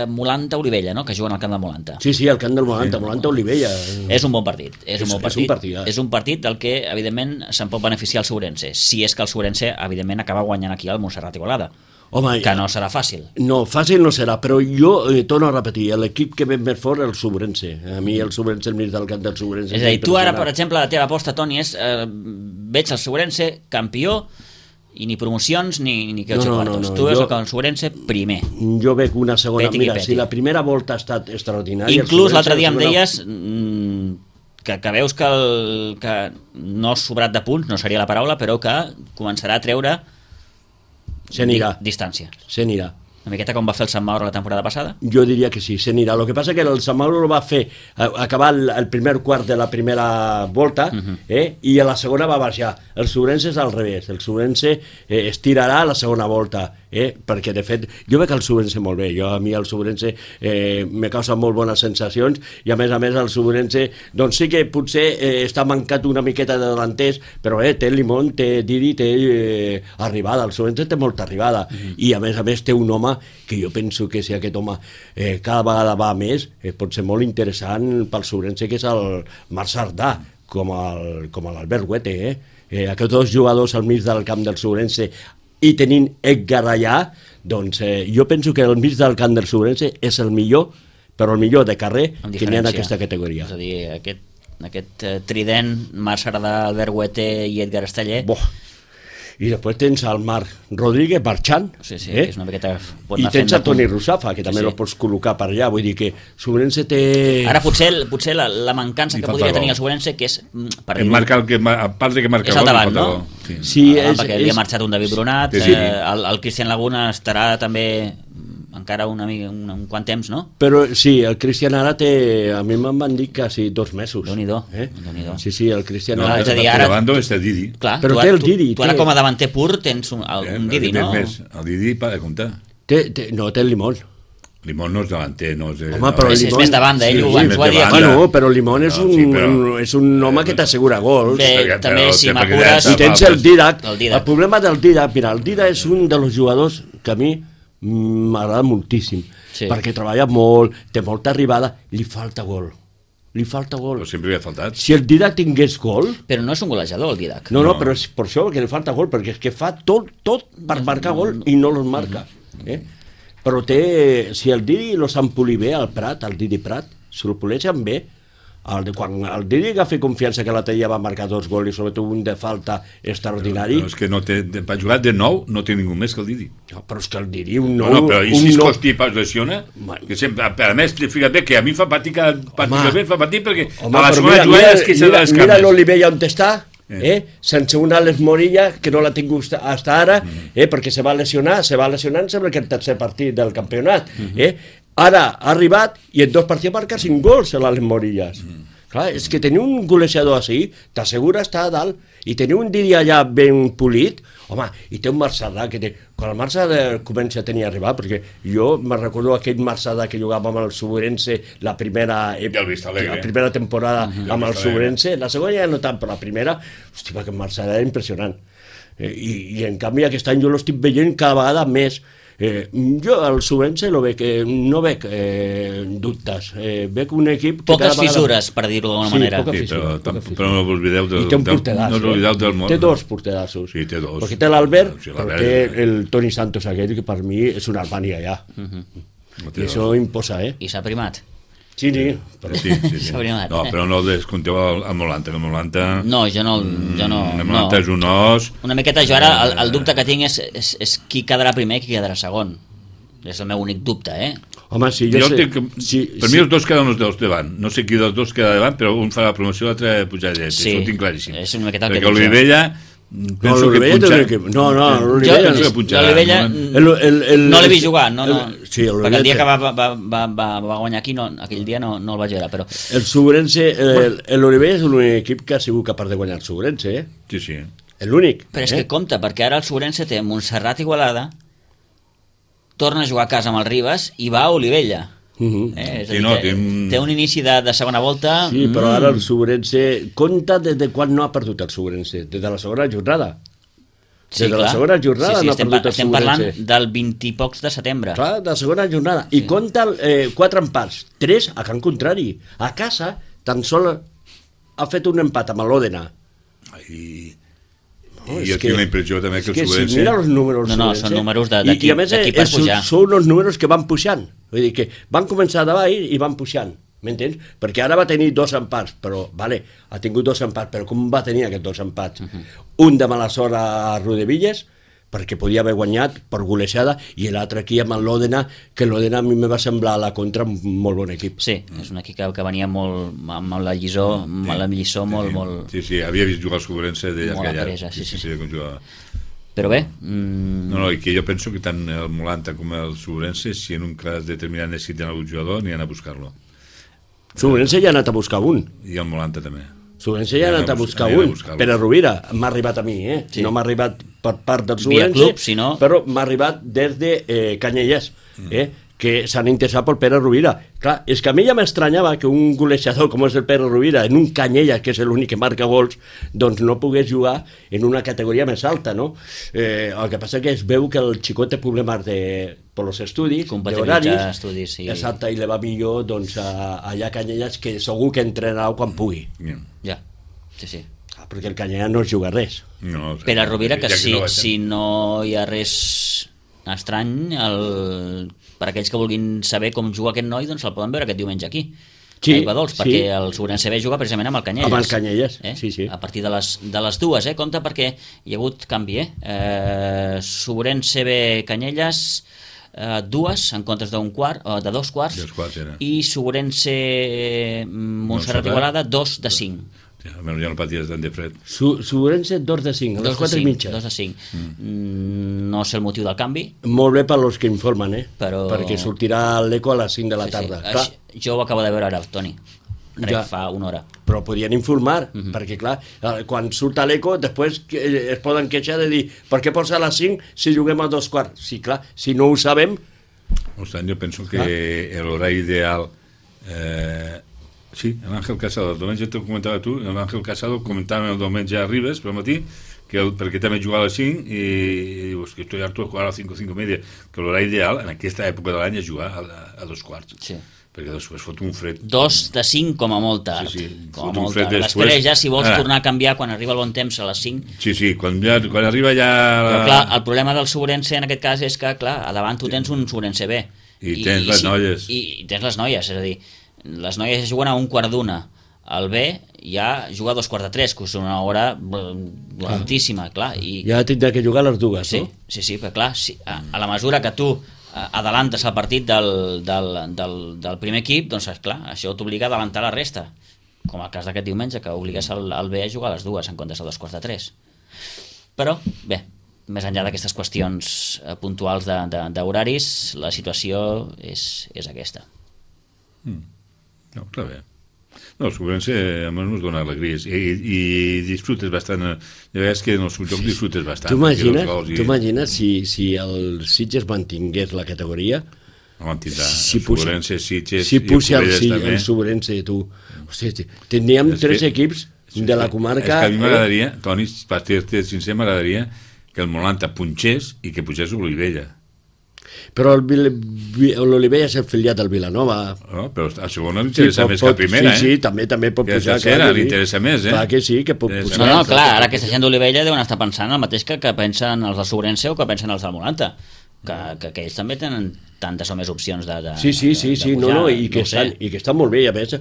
Molanta Olivella, no?, que juguen al camp del Molanta. Sí, al camp del Molanta, Molanta Olivella. És un bon partit. És un partit del que, evidentment, se'n pot beneficiar el Sobrense, si és que el Sobrense, evidentment, acaba guanyant aquí al Montserrat Igualada. Home, que no serà fàcil. No, fàcil no serà, però jo torno a repetir, l'equip que ve més fort és el Sobrense. A mi el Sobrense, el mig del camp del Sobrense... És a dir, tu ara, per exemple, la teva aposta, Toni, és veig el Sobrense campió i ni promocions ni que 8 quartos. Tu veus el Sobrense primer. Jo veig una segona. Mira, si la primera volta ha estat extraordinària... Inclús l'altre dia em deies que veus que no ha sobrat de punts, no seria la paraula, però que començarà a treure distància. Se n'irà. Una miqueta com va fer el Sant Mauro la temporada passada? Jo diria que sí, se n'irà. El que passa que el Sant Mauro va fer acabar el primer quart de la primera volta i a la segona va baixar. El Sobrense és al revés. El Sobrense estirarà a la segona volta perquè de fet jo veig el Sobrense molt bé. A mi el Sobrense me causa molt bones sensacions i a més el Sobrense doncs sí que potser està mancat una miqueta de delanters, però té Limón, té Didi, té arribada. El Sobrense té molta arribada i a més té un home que jo penso que si aquest home cada vegada va més, pot ser molt interessant pel Sobrense, que és el Marc Sardà, com l'Albert Huete. Aquests 2 jugadors al mig del camp del Sobrense i tenint Edgar allà, doncs jo penso que el mig del camp del Sobrense és el millor, però el millor de carrer que n'hi ha en aquesta categoria. És a dir, aquest trident, Marc Sardà, Albert Huete i Edgar Esteller... I després tens el Marc Rodríguez marxant, que és una miqueta... i tens el Toni Rusafa, que també el pots col·locar per allà, vull dir que Sobrense té... Ara potser la mancança que podria tenir el Sobrense, que és... A part de que marca és al davant, no? Perquè havia marxat un David Brunat, el Cristian Laguna estarà també encara un quant temps, no? Però sí, el Cristian ara té, a mi me'n van dir quasi 2 mesos. Déu-n'hi-do. Sí, el Cristian ara... És a dir, ara... Davant està Didi. Clar, però té el Didi. Tu ara com a davanter pur tens un Didi, no? El Didi para de comptar. No, té el Limón. Limón no és davanter, no és... Home, però és més de banda, ell ho ha dit. Bueno, però Limón és un home que t'assegura gols. Bé, també si m'apures... I tens el Didac. El problema del Didac, mira, el Didac és un dels jugadors que a mi m'agrada moltíssim, perquè treballa molt, té molta arribada, li falta gol. Però sempre li ha faltat. Si el Didac tingués gol... Però no és un golejador, el Didac. No, però és per això que li falta gol, perquè és que fa tot per marcar gol i no los marca. Però si el Didi lo sap polir bé, el Prat, el Didi Prat, si lo poleixen bé, quan el Didi agafa confiança que l'altre dia va marcar 2 gols i sobretot un de falta extraordinari... Però és que no té, per jugar de nou no té ningú més que el Didi. Però és que el Didi un nou... No, però i si Escostí es lesiona? Que sempre, a més, fíjate bé que a mi fa patir cada partit fa patir perquè a la segona jugada és que se les cames. Mira l'Olivella on està, sense una Alex Morilla que no l'ha tingut fins ara, perquè se va lesionar, sembla que el tercer partit del campionat, ara ha arribat i en 2 partits marca 5 gols a l'Alex Morillas. Clar, és que tenir un golejador així t'assegura estar a dalt, i tenir un Didi allà ben polit, home, i té un Marc Sardà que té... Quan el Marc Sardà comença a tenir arribar, perquè jo me recordo aquell Marc Sardà que jugava amb el Sobrense la primera temporada amb el Sobrense, la segona ja no tant, però la primera, hòstia, que el Marc Sardà era impressionant. I en canvi aquest any jo l'estic veient cada vegada més. Jo al Sobrense no veig dubtes, veig un equip que poques fissures, per dir-ho d'alguna manera. Però no us oblideu del món. Té 2 portedassos, sí, té 2, perquè té l'Albert, però té el Toni Santos aquell, que per mi és una Albània ja, i això imposa. I s'ha primat. Sí. No, però no descompteu el Molanta, No, jo no. El Molanta és un os. Una miqueta jo ara, el dubte que tinc és qui quedarà primer i qui quedarà segon. És el meu únic dubte, Home, sí, per mi els dos queden els dos davant. No sé qui dels dos queda davant, però un fa la promoció i l'altre pujar dret. Sí, això ho tinc claríssim. És una miqueta el perquè Olivella... penso que l'Olivella no l'he vist jugar, perquè el dia que va guanyar aquí, aquell dia no el vaig veure, però... El Subrense, l'Olivella és l'únic equip que ha sigut capaç de guanyar el Subrense, Sí. És l'únic. Però és que compta, perquè ara el Subrense té Montserrat Igualada, torna a jugar a casa amb el Ribes i va a Olivella. És a dir, té un inici de segona volta. Sí, però ara el Subrense compta des de quan no ha perdut el Subrense, des de la segona jornada. Des de la segona jornada no ha perdut el Subrense. Estem parlant del 20 i pocs de setembre. Clar, de la segona jornada. I compta 4 empats, 3 a Can Contrari. A casa tan sol ha fet un empat amb l'Òdena. I jo tinc la impressió també que el Subrense... Si mira els números... No, són números d'aquí per pujar. Són uns números que van pujant. Vull dir que van començar davall i van pujant. M'entens? Perquè ara va tenir 2 empats, però, ha tingut 2 empats, però com va tenir aquests 2 empats? Un de mala sort a Rodevilles, perquè podia haver guanyat per golejada, i l'altre aquí amb l'Òdena, que l'Òdena a mi me va semblar a la contra un molt bon equip. Sí, és un equip que venia molt amb la lliçó, molt... Sí, havia vist jugar al Subrense de molt apresa, sí. Com jugava. Però bé... No, i que jo penso que tant el Molanta com el Subrense, si en un cas determinat necessiten algun jugador, aniran a buscar-lo. Subrense ja ha anat a buscar un. I el Molanta també. Subrense ja ha anat a buscar un. Pere Rovira, m'ha arribat a mi, Sí. No m'ha arribat per part del Subrense, club, però m'ha arribat des de Canyelles, que s'han interessat pel Pere Rovira. Clar, és que a mi ja m'estranyava que un golejador com és el Pere Rovira, en un Canyelles, que és l'únic que marca gols, doncs no pogués jugar en una categoria més alta, no? El que passa que es veu que el xicot té problemes per els estudis, compatibilitzar estudis, sí. Exacte, i le va millor doncs, allà a Canyelles, que segur que entrenarà quan pugui. Ja, sí. Perquè el Canyelles no es juga res. Pere Rovira, que si no hi ha res estrany, per aquells que vulguin saber com juga aquest noi, doncs el poden veure aquest diumenge aquí, a Ibadols, perquè el Subrense B juga precisament amb el Canyelles. Amb el Canyelles, sí. A partir de les dues, compte, perquè hi ha hagut canvi, Subrense B Canyelles, 2 en comptes de 2 quarts, i Subrense Montserrat Igualada 2 de 5. Almenys ja no paties tant de fred. Subrense 2 de 5, a les 4 i mitja. 2 de 5. No sé el motiu del canvi. Molt bé per als que informen, però... perquè sortirà l'Eco a les 5 de la tarda. Jo ho acabo de veure ara, Toni. Fa una hora. Però podien informar, perquè clar, quan surt a l'Eco, després es poden queixar de dir per què posa a les 5 si juguem a 2 quarts? Sí, clar, si no ho sabem... Jo penso que l'horari ideal... Sí, l'Àngel Casado, el diumenge t'ho comentava tu, l'Àngel Casado comentava el diumenge a Ribes pel matí, perquè també jugava a les 5 i dius que estoy harto de jugar a les 5 o 5 y media, que l'horari ideal en aquesta època de l'any és jugar a 2 quarts. Sí. Perquè després fot un fred. 2 de 5 com a molt tard. Sí, com a molt tard. Després ja, si vols tornar a canviar quan arriba el bon temps a les 5... Sí, quan arriba ja... Però clar, el problema del Subrense en aquest cas és que, clar, a davant tu tens un Subrense B. I tens les noies. I tens les noies, és a dir, les noies juguen a un quart d'una. El B ja juga a 2:45, que és una hora lentíssima, clar. Ja tindrà que jugar a les dues, no? Sí, però clar, a la mesura que tu adelantes el partit del primer equip, doncs clar, això t'obliga a adelantar la resta, com el cas d'aquest diumenge, que obligues el B a jugar a les dues en comptes de 2:45. Però, bé, més enllà d'aquestes qüestions puntuals d'horaris, la situació és aquesta. No, està bé. No, el Subrense almenys ens dona alegries i disfrutes bastant. Ja veus que en els jocs disfrutes bastant. Tu imagines si el Sitges mantingués la categoria, mantindrà el Subrense, Sitges si puja el Subrense, tu, hòstia, tindríem 3 equips de la comarca. És que a mi m'agradaria, Toni, per ser sincer, m'agradaria que el Molanta punxés i que pugés l'Olivella. Però l'Olivella és afiliat al Vilanova. No, però a segona li interessa més que a primera, Sí, també pot pujar. Que a tercera li interessa més, Clar que sí, que pot pujar. No, clar, ara aquesta gent d'Olivella deuen estar pensant el mateix que pensen els del Subrense o que pensen els del Molanta. que ells també tenen tantes o més opcions de Sí, pujar, i que estan molt bé. A més,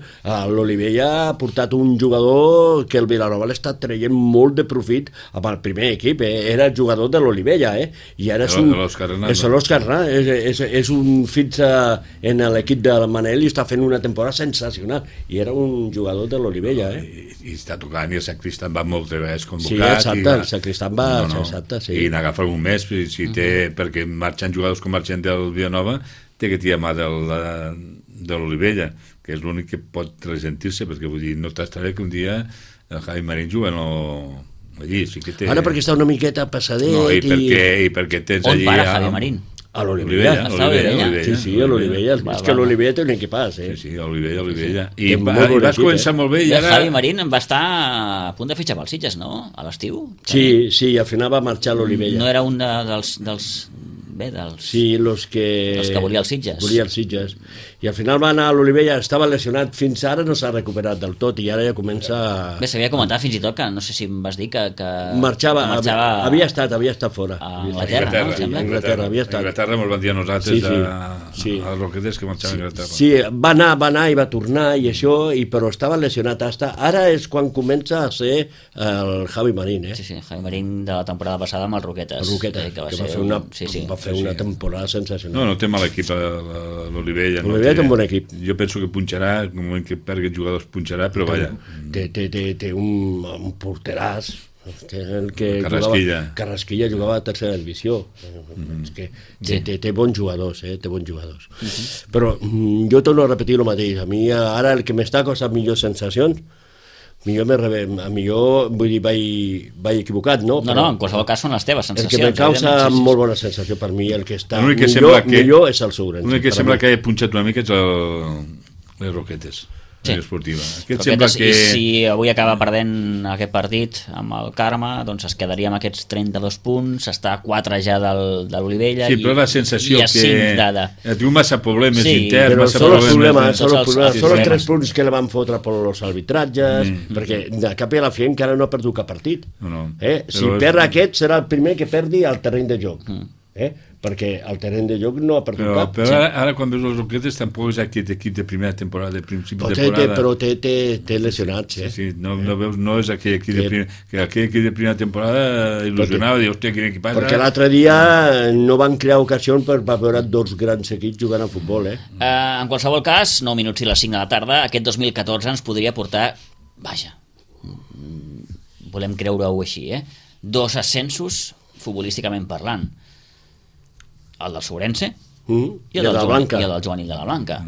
l'Olivella ha portat un jugador que el Vilanova l'està traient molt de profit amb el primer equip, era el jugador de l'Olivella, i ara és l'Òscar Rà, és un fix en l'equip de Manel i està fent una temporada sensacional, i era un jugador de l'Olivella, I està tocant, i el Sacristan va moltes vegades convocat. Sí, exacte, el Sacristan va, exacte, sí. I n'agafa algun mes, si té, perquè marxen jugadors com marxen del Vilanova, té que tirar mà de l'Olivella, que és l'únic que pot ressentir-se, perquè vull dir, no t'estaré que un dia el Javi Marín juga allí, sí que té... Ara perquè està una miqueta passadet... No, i perquè tens allí... On para Javi Marín? A l'Olivella. Sí, a l'Olivella. És que l'Olivella té un equipàs, Sí, a l'Olivella. I vas començar molt bé i ara... Javi Marín va estar a punt de fitxar pels Sitges, no? A l'estiu? Sí, al final va marxar a l'Olivella. No era un dels Sí, els que volia els Sitges. Volia els Sitges. I al final va anar a l'Olivella, estava lesionat, fins ara no s'ha recuperat del tot, i ara ja comença... Bé, s'havia comentat fins i tot que, no sé si em vas dir que marxava, havia estat fora. A Anglaterra, no? A Anglaterra, havia estat. A Anglaterra me'l van dir a nosaltres, a Roquetes, que marxava a Anglaterra. Sí, va anar i va tornar, i això, però estava lesionat. Ara és quan comença a ser el Javi Marín, Sí, Javi Marín de la temporada passada amb el Roquetes. Que va fer una temporada sensacional. No té mal equip l'Olivella. L'Olivella té un bon equip. Jo penso que punxarà, en el moment que perdi jugadors punxarà, però vaja. Té un porteràs, el que Carrasquilla jugava a tercera divisió. És que té bons jugadors, té bons jugadors. Però jo torno a repetir el mateix. A mi ara el que m'està causant millors sensacions, millor vull dir, vaig equivocat, no? No, en qualsevol cas són les teves sensacions. El que me causa molt bona sensació per mi, el que està millor és el Sourense. L'únic que sembla que ha punxat una mica és les Roquetes. Esportiva. Roquetes, i si avui acaba perdent aquest partit amb el Carme, doncs es quedaria amb aquests 32 punts, està a 4 ja de l'Olivella, però la sensació i a 5 de... Tinc massa problemes interns, massa problemes. Són els 3 punts que le van fotre per els arbitratges, perquè de cap i a la fi encara no ha perdut cap partit. Si perd aquest, serà el primer que perdi el terreny de joc. Perquè el terreny de joc no ha perdut cap. Però ara quan veus els Roquetes tampoc és aquest equip de primera temporada, de principi de temporada. Però té lesionats, no és aquell equip de primera, que aquell equip de primera temporada il·lusionava, dir, hòstia, quin equip... Perquè l'altre dia no van crear ocasions per veure dos grans equips jugant a futbol, En qualsevol cas, 9 minuts i les 5 de la tarda, aquest 2014 ens podria portar, vaja, volem creure-ho així, 2 ascensos futbolísticament parlant. El del Sourense i el del Joaní de la Blanca.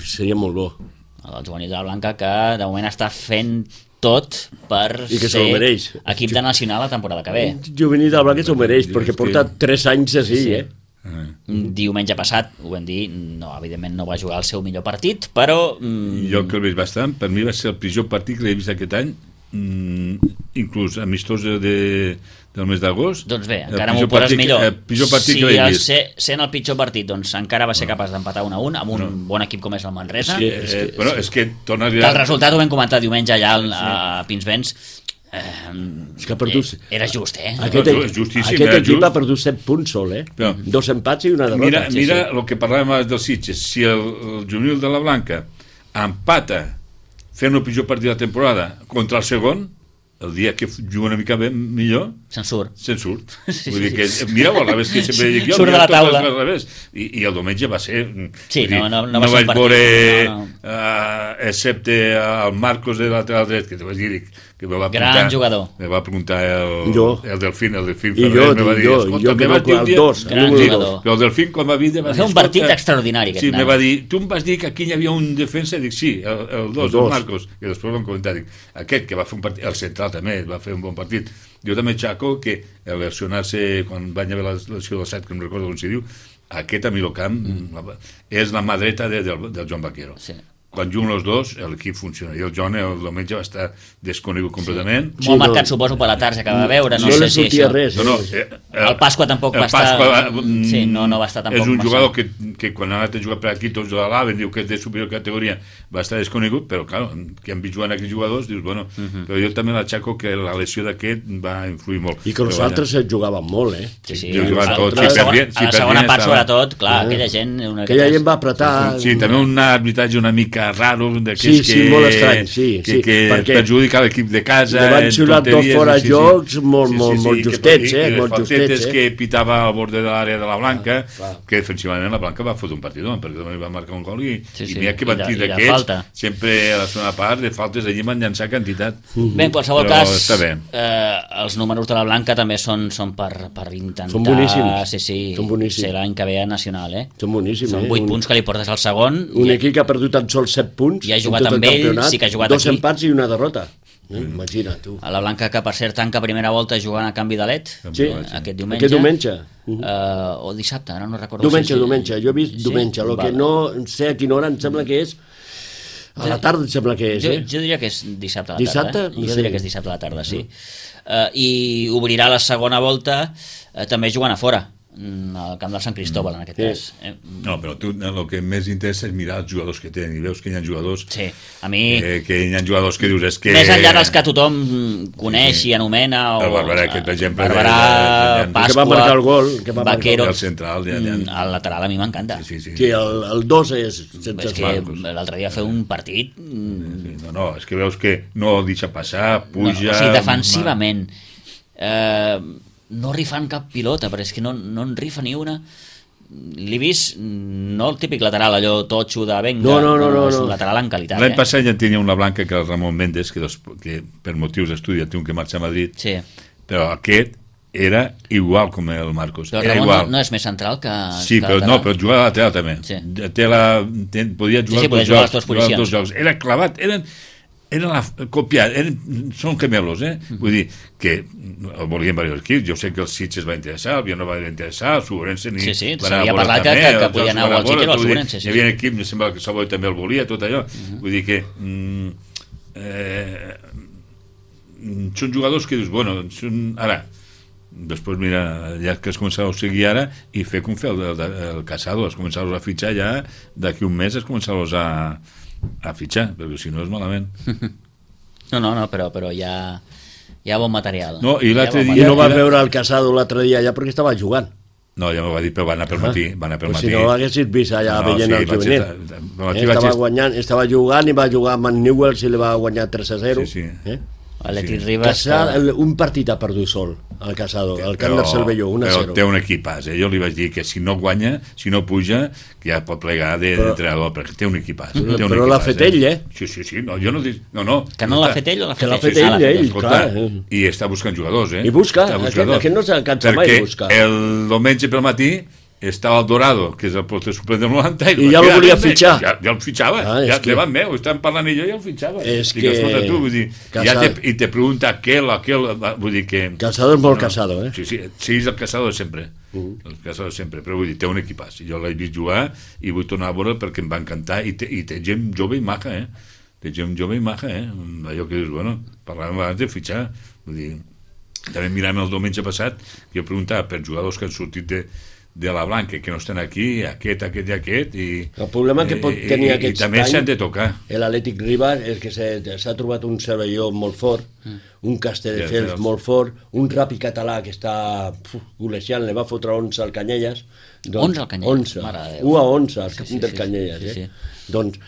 Seria molt bo. El del Joaní de la Blanca, que de moment està fent tot per ser equip de nacional la temporada que ve. Joaní de la Blanca s'ho mereix, perquè porta 3 anys així, Diumenge passat, ho vam dir, evidentment no va jugar el seu millor partit, però... Jo que el veig bastant, per mi va ser el pitjor partit que l'he vist aquest any, inclús amistós del mes d'agost. Doncs bé, encara m'ho poses millor. El pitjor partit que l'he vist. Sent el pitjor partit, doncs encara va ser capaç d'empatar 1-1 amb un bon equip com és el Manresa. És que torna a... El resultat ho vam comentar diumenge allà a Pinsbens. Era just, Aquest equip ha perdut 7 punts sol, 2 empats i una derrota. Mira el que parlàvem abans dels Sitges. Si el juvenil de la Blanca empata fent el pitjor partit de la temporada contra el segon, el dia que juga una mica millor se'n surt. Vull dir que mireu al revés, que sempre dic jo, surt de la taula i el diumenge va ser no vaig veure excepte el Marcos de lateral dret, que te vaig dir que me va preguntar, gran jugador, me va preguntar el Delfín Ferrer, me va dir, escolta, me vas dir un dia, però el Delfín quan va dir va fer un partit extraordinari, me va dir, tu em vas dir que aquí hi havia un defensa, dic sí, el 2, el Marcos, i després vam comentar, aquest que va fer un partit, el central també va fer un bon partit. Jo també xaco que el lesionar-se quan va haver la lesió del 7, que no recordo com s'hi diu, aquest a mi el camp és la mà dreta del Joan Vaquero. quan juguen els dos, l'equip funciona. I el Joan el diumenge va estar desconegut completament. Molt marcat, suposo, per la tarda que va veure. No li sortia res. El Pasqua tampoc va estar... Sí, no va estar tampoc. És un jugador que quan ha anat a jugar per aquí tots de l'Alaven, diu que és de superior categoria, va estar desconegut, però clar, que han vist jugant aquests jugadors, dius, bueno, però jo també l'aixaco que la lesió d'aquest va influir molt. I que els altres jugaven molt, eh? Sí. A la segona part, sobretot, clar, aquella gent... Aquella gent va apretar... Sí, també un arbitratge una mica raro d'aquells molt estrany, que perjudica l'equip de casa. Li van xiular dos fora jocs molt justets, eh? I les faltetes que pitava al bord de l'àrea de la Blanca, que defensivament la Blanca va fotre un partidor, perquè també va marcar un gol i n'hi ha que van dir d'aquests, sempre a la segona part de faltes allí van llançar quantitat. Bé, en qualsevol cas, els números de la Blanca també són per intentar... Són boníssims. Ser l'any que ve a Nacional, eh? Són boníssims, Són 8 punts que li portes al segon. Un equip que ha perdut tan sols 7 punts. I ha jugat amb ell, sí que ha jugat 2 empats i una derrota. Imagina, tu. A la Blanca, que per cert tanca primera volta jugant a canvi de LED, aquest diumenge. Aquest diumenge. O dissabte, ara no recordo. Diumenge, jo he vist diumenge. El que no sé a quina hora em sembla que és... A la tarda em sembla que és, Jo diria que és dissabte a la tarda. Dissabte? Jo diria que és dissabte a la tarda, sí. I obrirà la segona volta també jugant a fora, al camp del Sant Cristóbal, en aquest cas. No, però tu el que més interessa és mirar els jugadors que tenen, i veus que hi ha jugadors... Sí, a mi... Que hi ha jugadors que dius... que més enllà dels que tothom coneix i anomena... El Barberà, aquest, per exemple... Barberà, Pasqua... Que va marcar el gol. Vaquero... El central... El lateral a mi m'encanta. Sí, el 2 és... És que l'altre dia fer un partit... No, és que veus que no deixa passar, puja... O sigui, defensivament... no rifant cap pilota, però és que no en rifa ni una. L'he vist, no el típic lateral allò totxo de venga, és un lateral en qualitat. L'any passat ja tenia una blanca, que el Ramon Méndez, que per motius d'estudi té un que marxa a Madrid, però aquest era igual com el Marcos. Però el Ramon no és més central que... Sí, però jugava a lateral també. Podia jugar als dos jocs. Era clavat, copiat, són gemelos, vull dir que el volien diversos equips. Jo sé que el Sitges va interessar, el Viano va interessar, el Suborense s'havia parlat que podia anar al Sitges o al Suborense. Hi havia equip, em sembla que el Salvador també el volia, tot allò, vull dir que són jugadors que dius, bueno, ara després mira, ja que es començava a seguir ara i fer com fer el Casado, es començava a fitxar ja d'aquí un mes, es començava a fitxar, perquè si no és malament. No, però hi ha bon material. No, i l'altre dia... no va veure el Casado l'altre dia allà perquè estava jugant. No, ja m'ho va dir, però va anar pel matí. Si no l'haguessis vist allà veient el juvenil. Estava jugant i va jugar amb el Newell's i li va guanyar 3-0. Atlètic Ribas... Un partit ha perdut sol, el Casado, el camp del Cervelló, 1-0. Però té un equipàs, Jo li vaig dir que si no guanya, si no puja, que ja pot plegar d'entrenador, perquè té un equipàs. Però l'ha fet ell, Sí, jo no dic... No. Que no l'ha fet ell o l'ha fet ell? Que l'ha fet ell, clar. I està buscant jugadors, I busca, aquest no s'ha cansat mai de buscar. Perquè el diumenge pel matí estava el Dorado, que és el porter suplent del 90, i ja el volia fitxar. Ja el fitxava, ja davant meu, estàvem parlant i jo ja el fitxava. És que... tu, vull dir, i te pregunta aquel, vull dir que... Casado és molt Casado, Sí, és el Casado de sempre. El Casado de sempre, però vull dir, té un equipàs. Jo l'he vist jugar i vull tornar a veure perquè em va encantar, i té gent jove i maca, Té gent jove i maca, Allò que dius, bueno, parlàvem abans de fitxar, vull dir... També miràvem el diumenge passat, que jo preguntava per jugadors que han sortit de la Blanca, que no estan aquí, aquest i aquest, i el problema que pot tenir aquest i també s'han de tocar. L'Atlètic Ribas és que s'ha trobat un Cervelló molt fort, un Castelldefels molt fort, un Ràpid Català que està golejant, li va fotre 11 al Canyelles. 11 al Canyelles? 1-11 al camp del Canyelles, Doncs,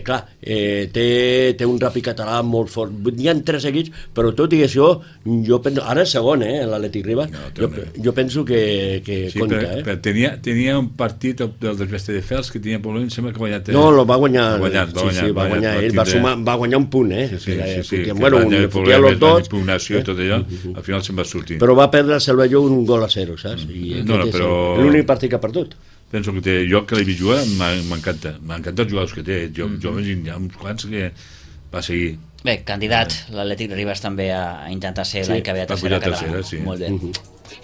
clar, té un Ràpid Català molt fort. Hi ha 3 seguits, però tot i això, jo penso, ara és segon, l'Atlètic Ribas, jo penso que compta, però tenia un partit del Castelldefels que tenia problemes, sembla que va guanyar... No, va guanyar ell, va guanyar un punt, bueno, fotia los dos, impugnació i tot allò, al final se'n va sortir. Però va perdre el Cervelló 1-0, saps? I l'únic partit que ha perdut. Penso que jo que l'he vist jugar m'encanta els jugadors que té, joves, hi ha uns quants que va seguir. Bé, candidat, l'Atlètic Ribas també a intentar ser l'any que ve a tercera catalana. Molt bé.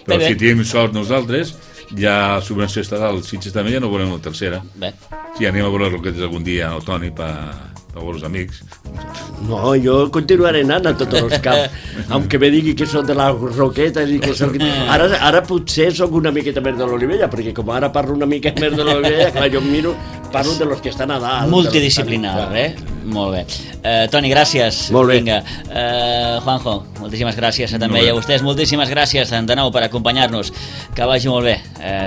Però si tenim sort nosaltres, ja el Suborense estatal, el Sitges també, ja no veurem la tercera. Bé. Sí, anem a veure Roquetes algun dia al Toni per per els amics. No, jo continuaré anant a tots els camps, aunque me digui que soc de les Roquetes i que soc... Ara potser soc una miqueta més de l'Olivella, perquè com ara parlo una mica més de l'Olivella, clar, jo miro, parlo de los que estan a dalt. Multidisciplinar, Molt bé. Toni, gràcies. Molt bé. Vinga. Juanjo, moltíssimes gràcies també. I a vostès, moltíssimes gràcies de nou per acompanyar-nos. Que vagi molt bé.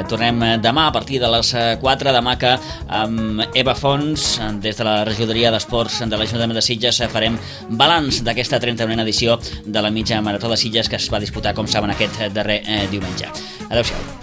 Tornem demà a partir de les 4, demà que amb Eva Fons, des de la regidoria d'Esports de l'Ajuntament de Sitges, farem balanç d'aquesta 31a edició de la mitja marató de Sitges que es va disputar, com saben, aquest darrer diumenge. Adéu-siau.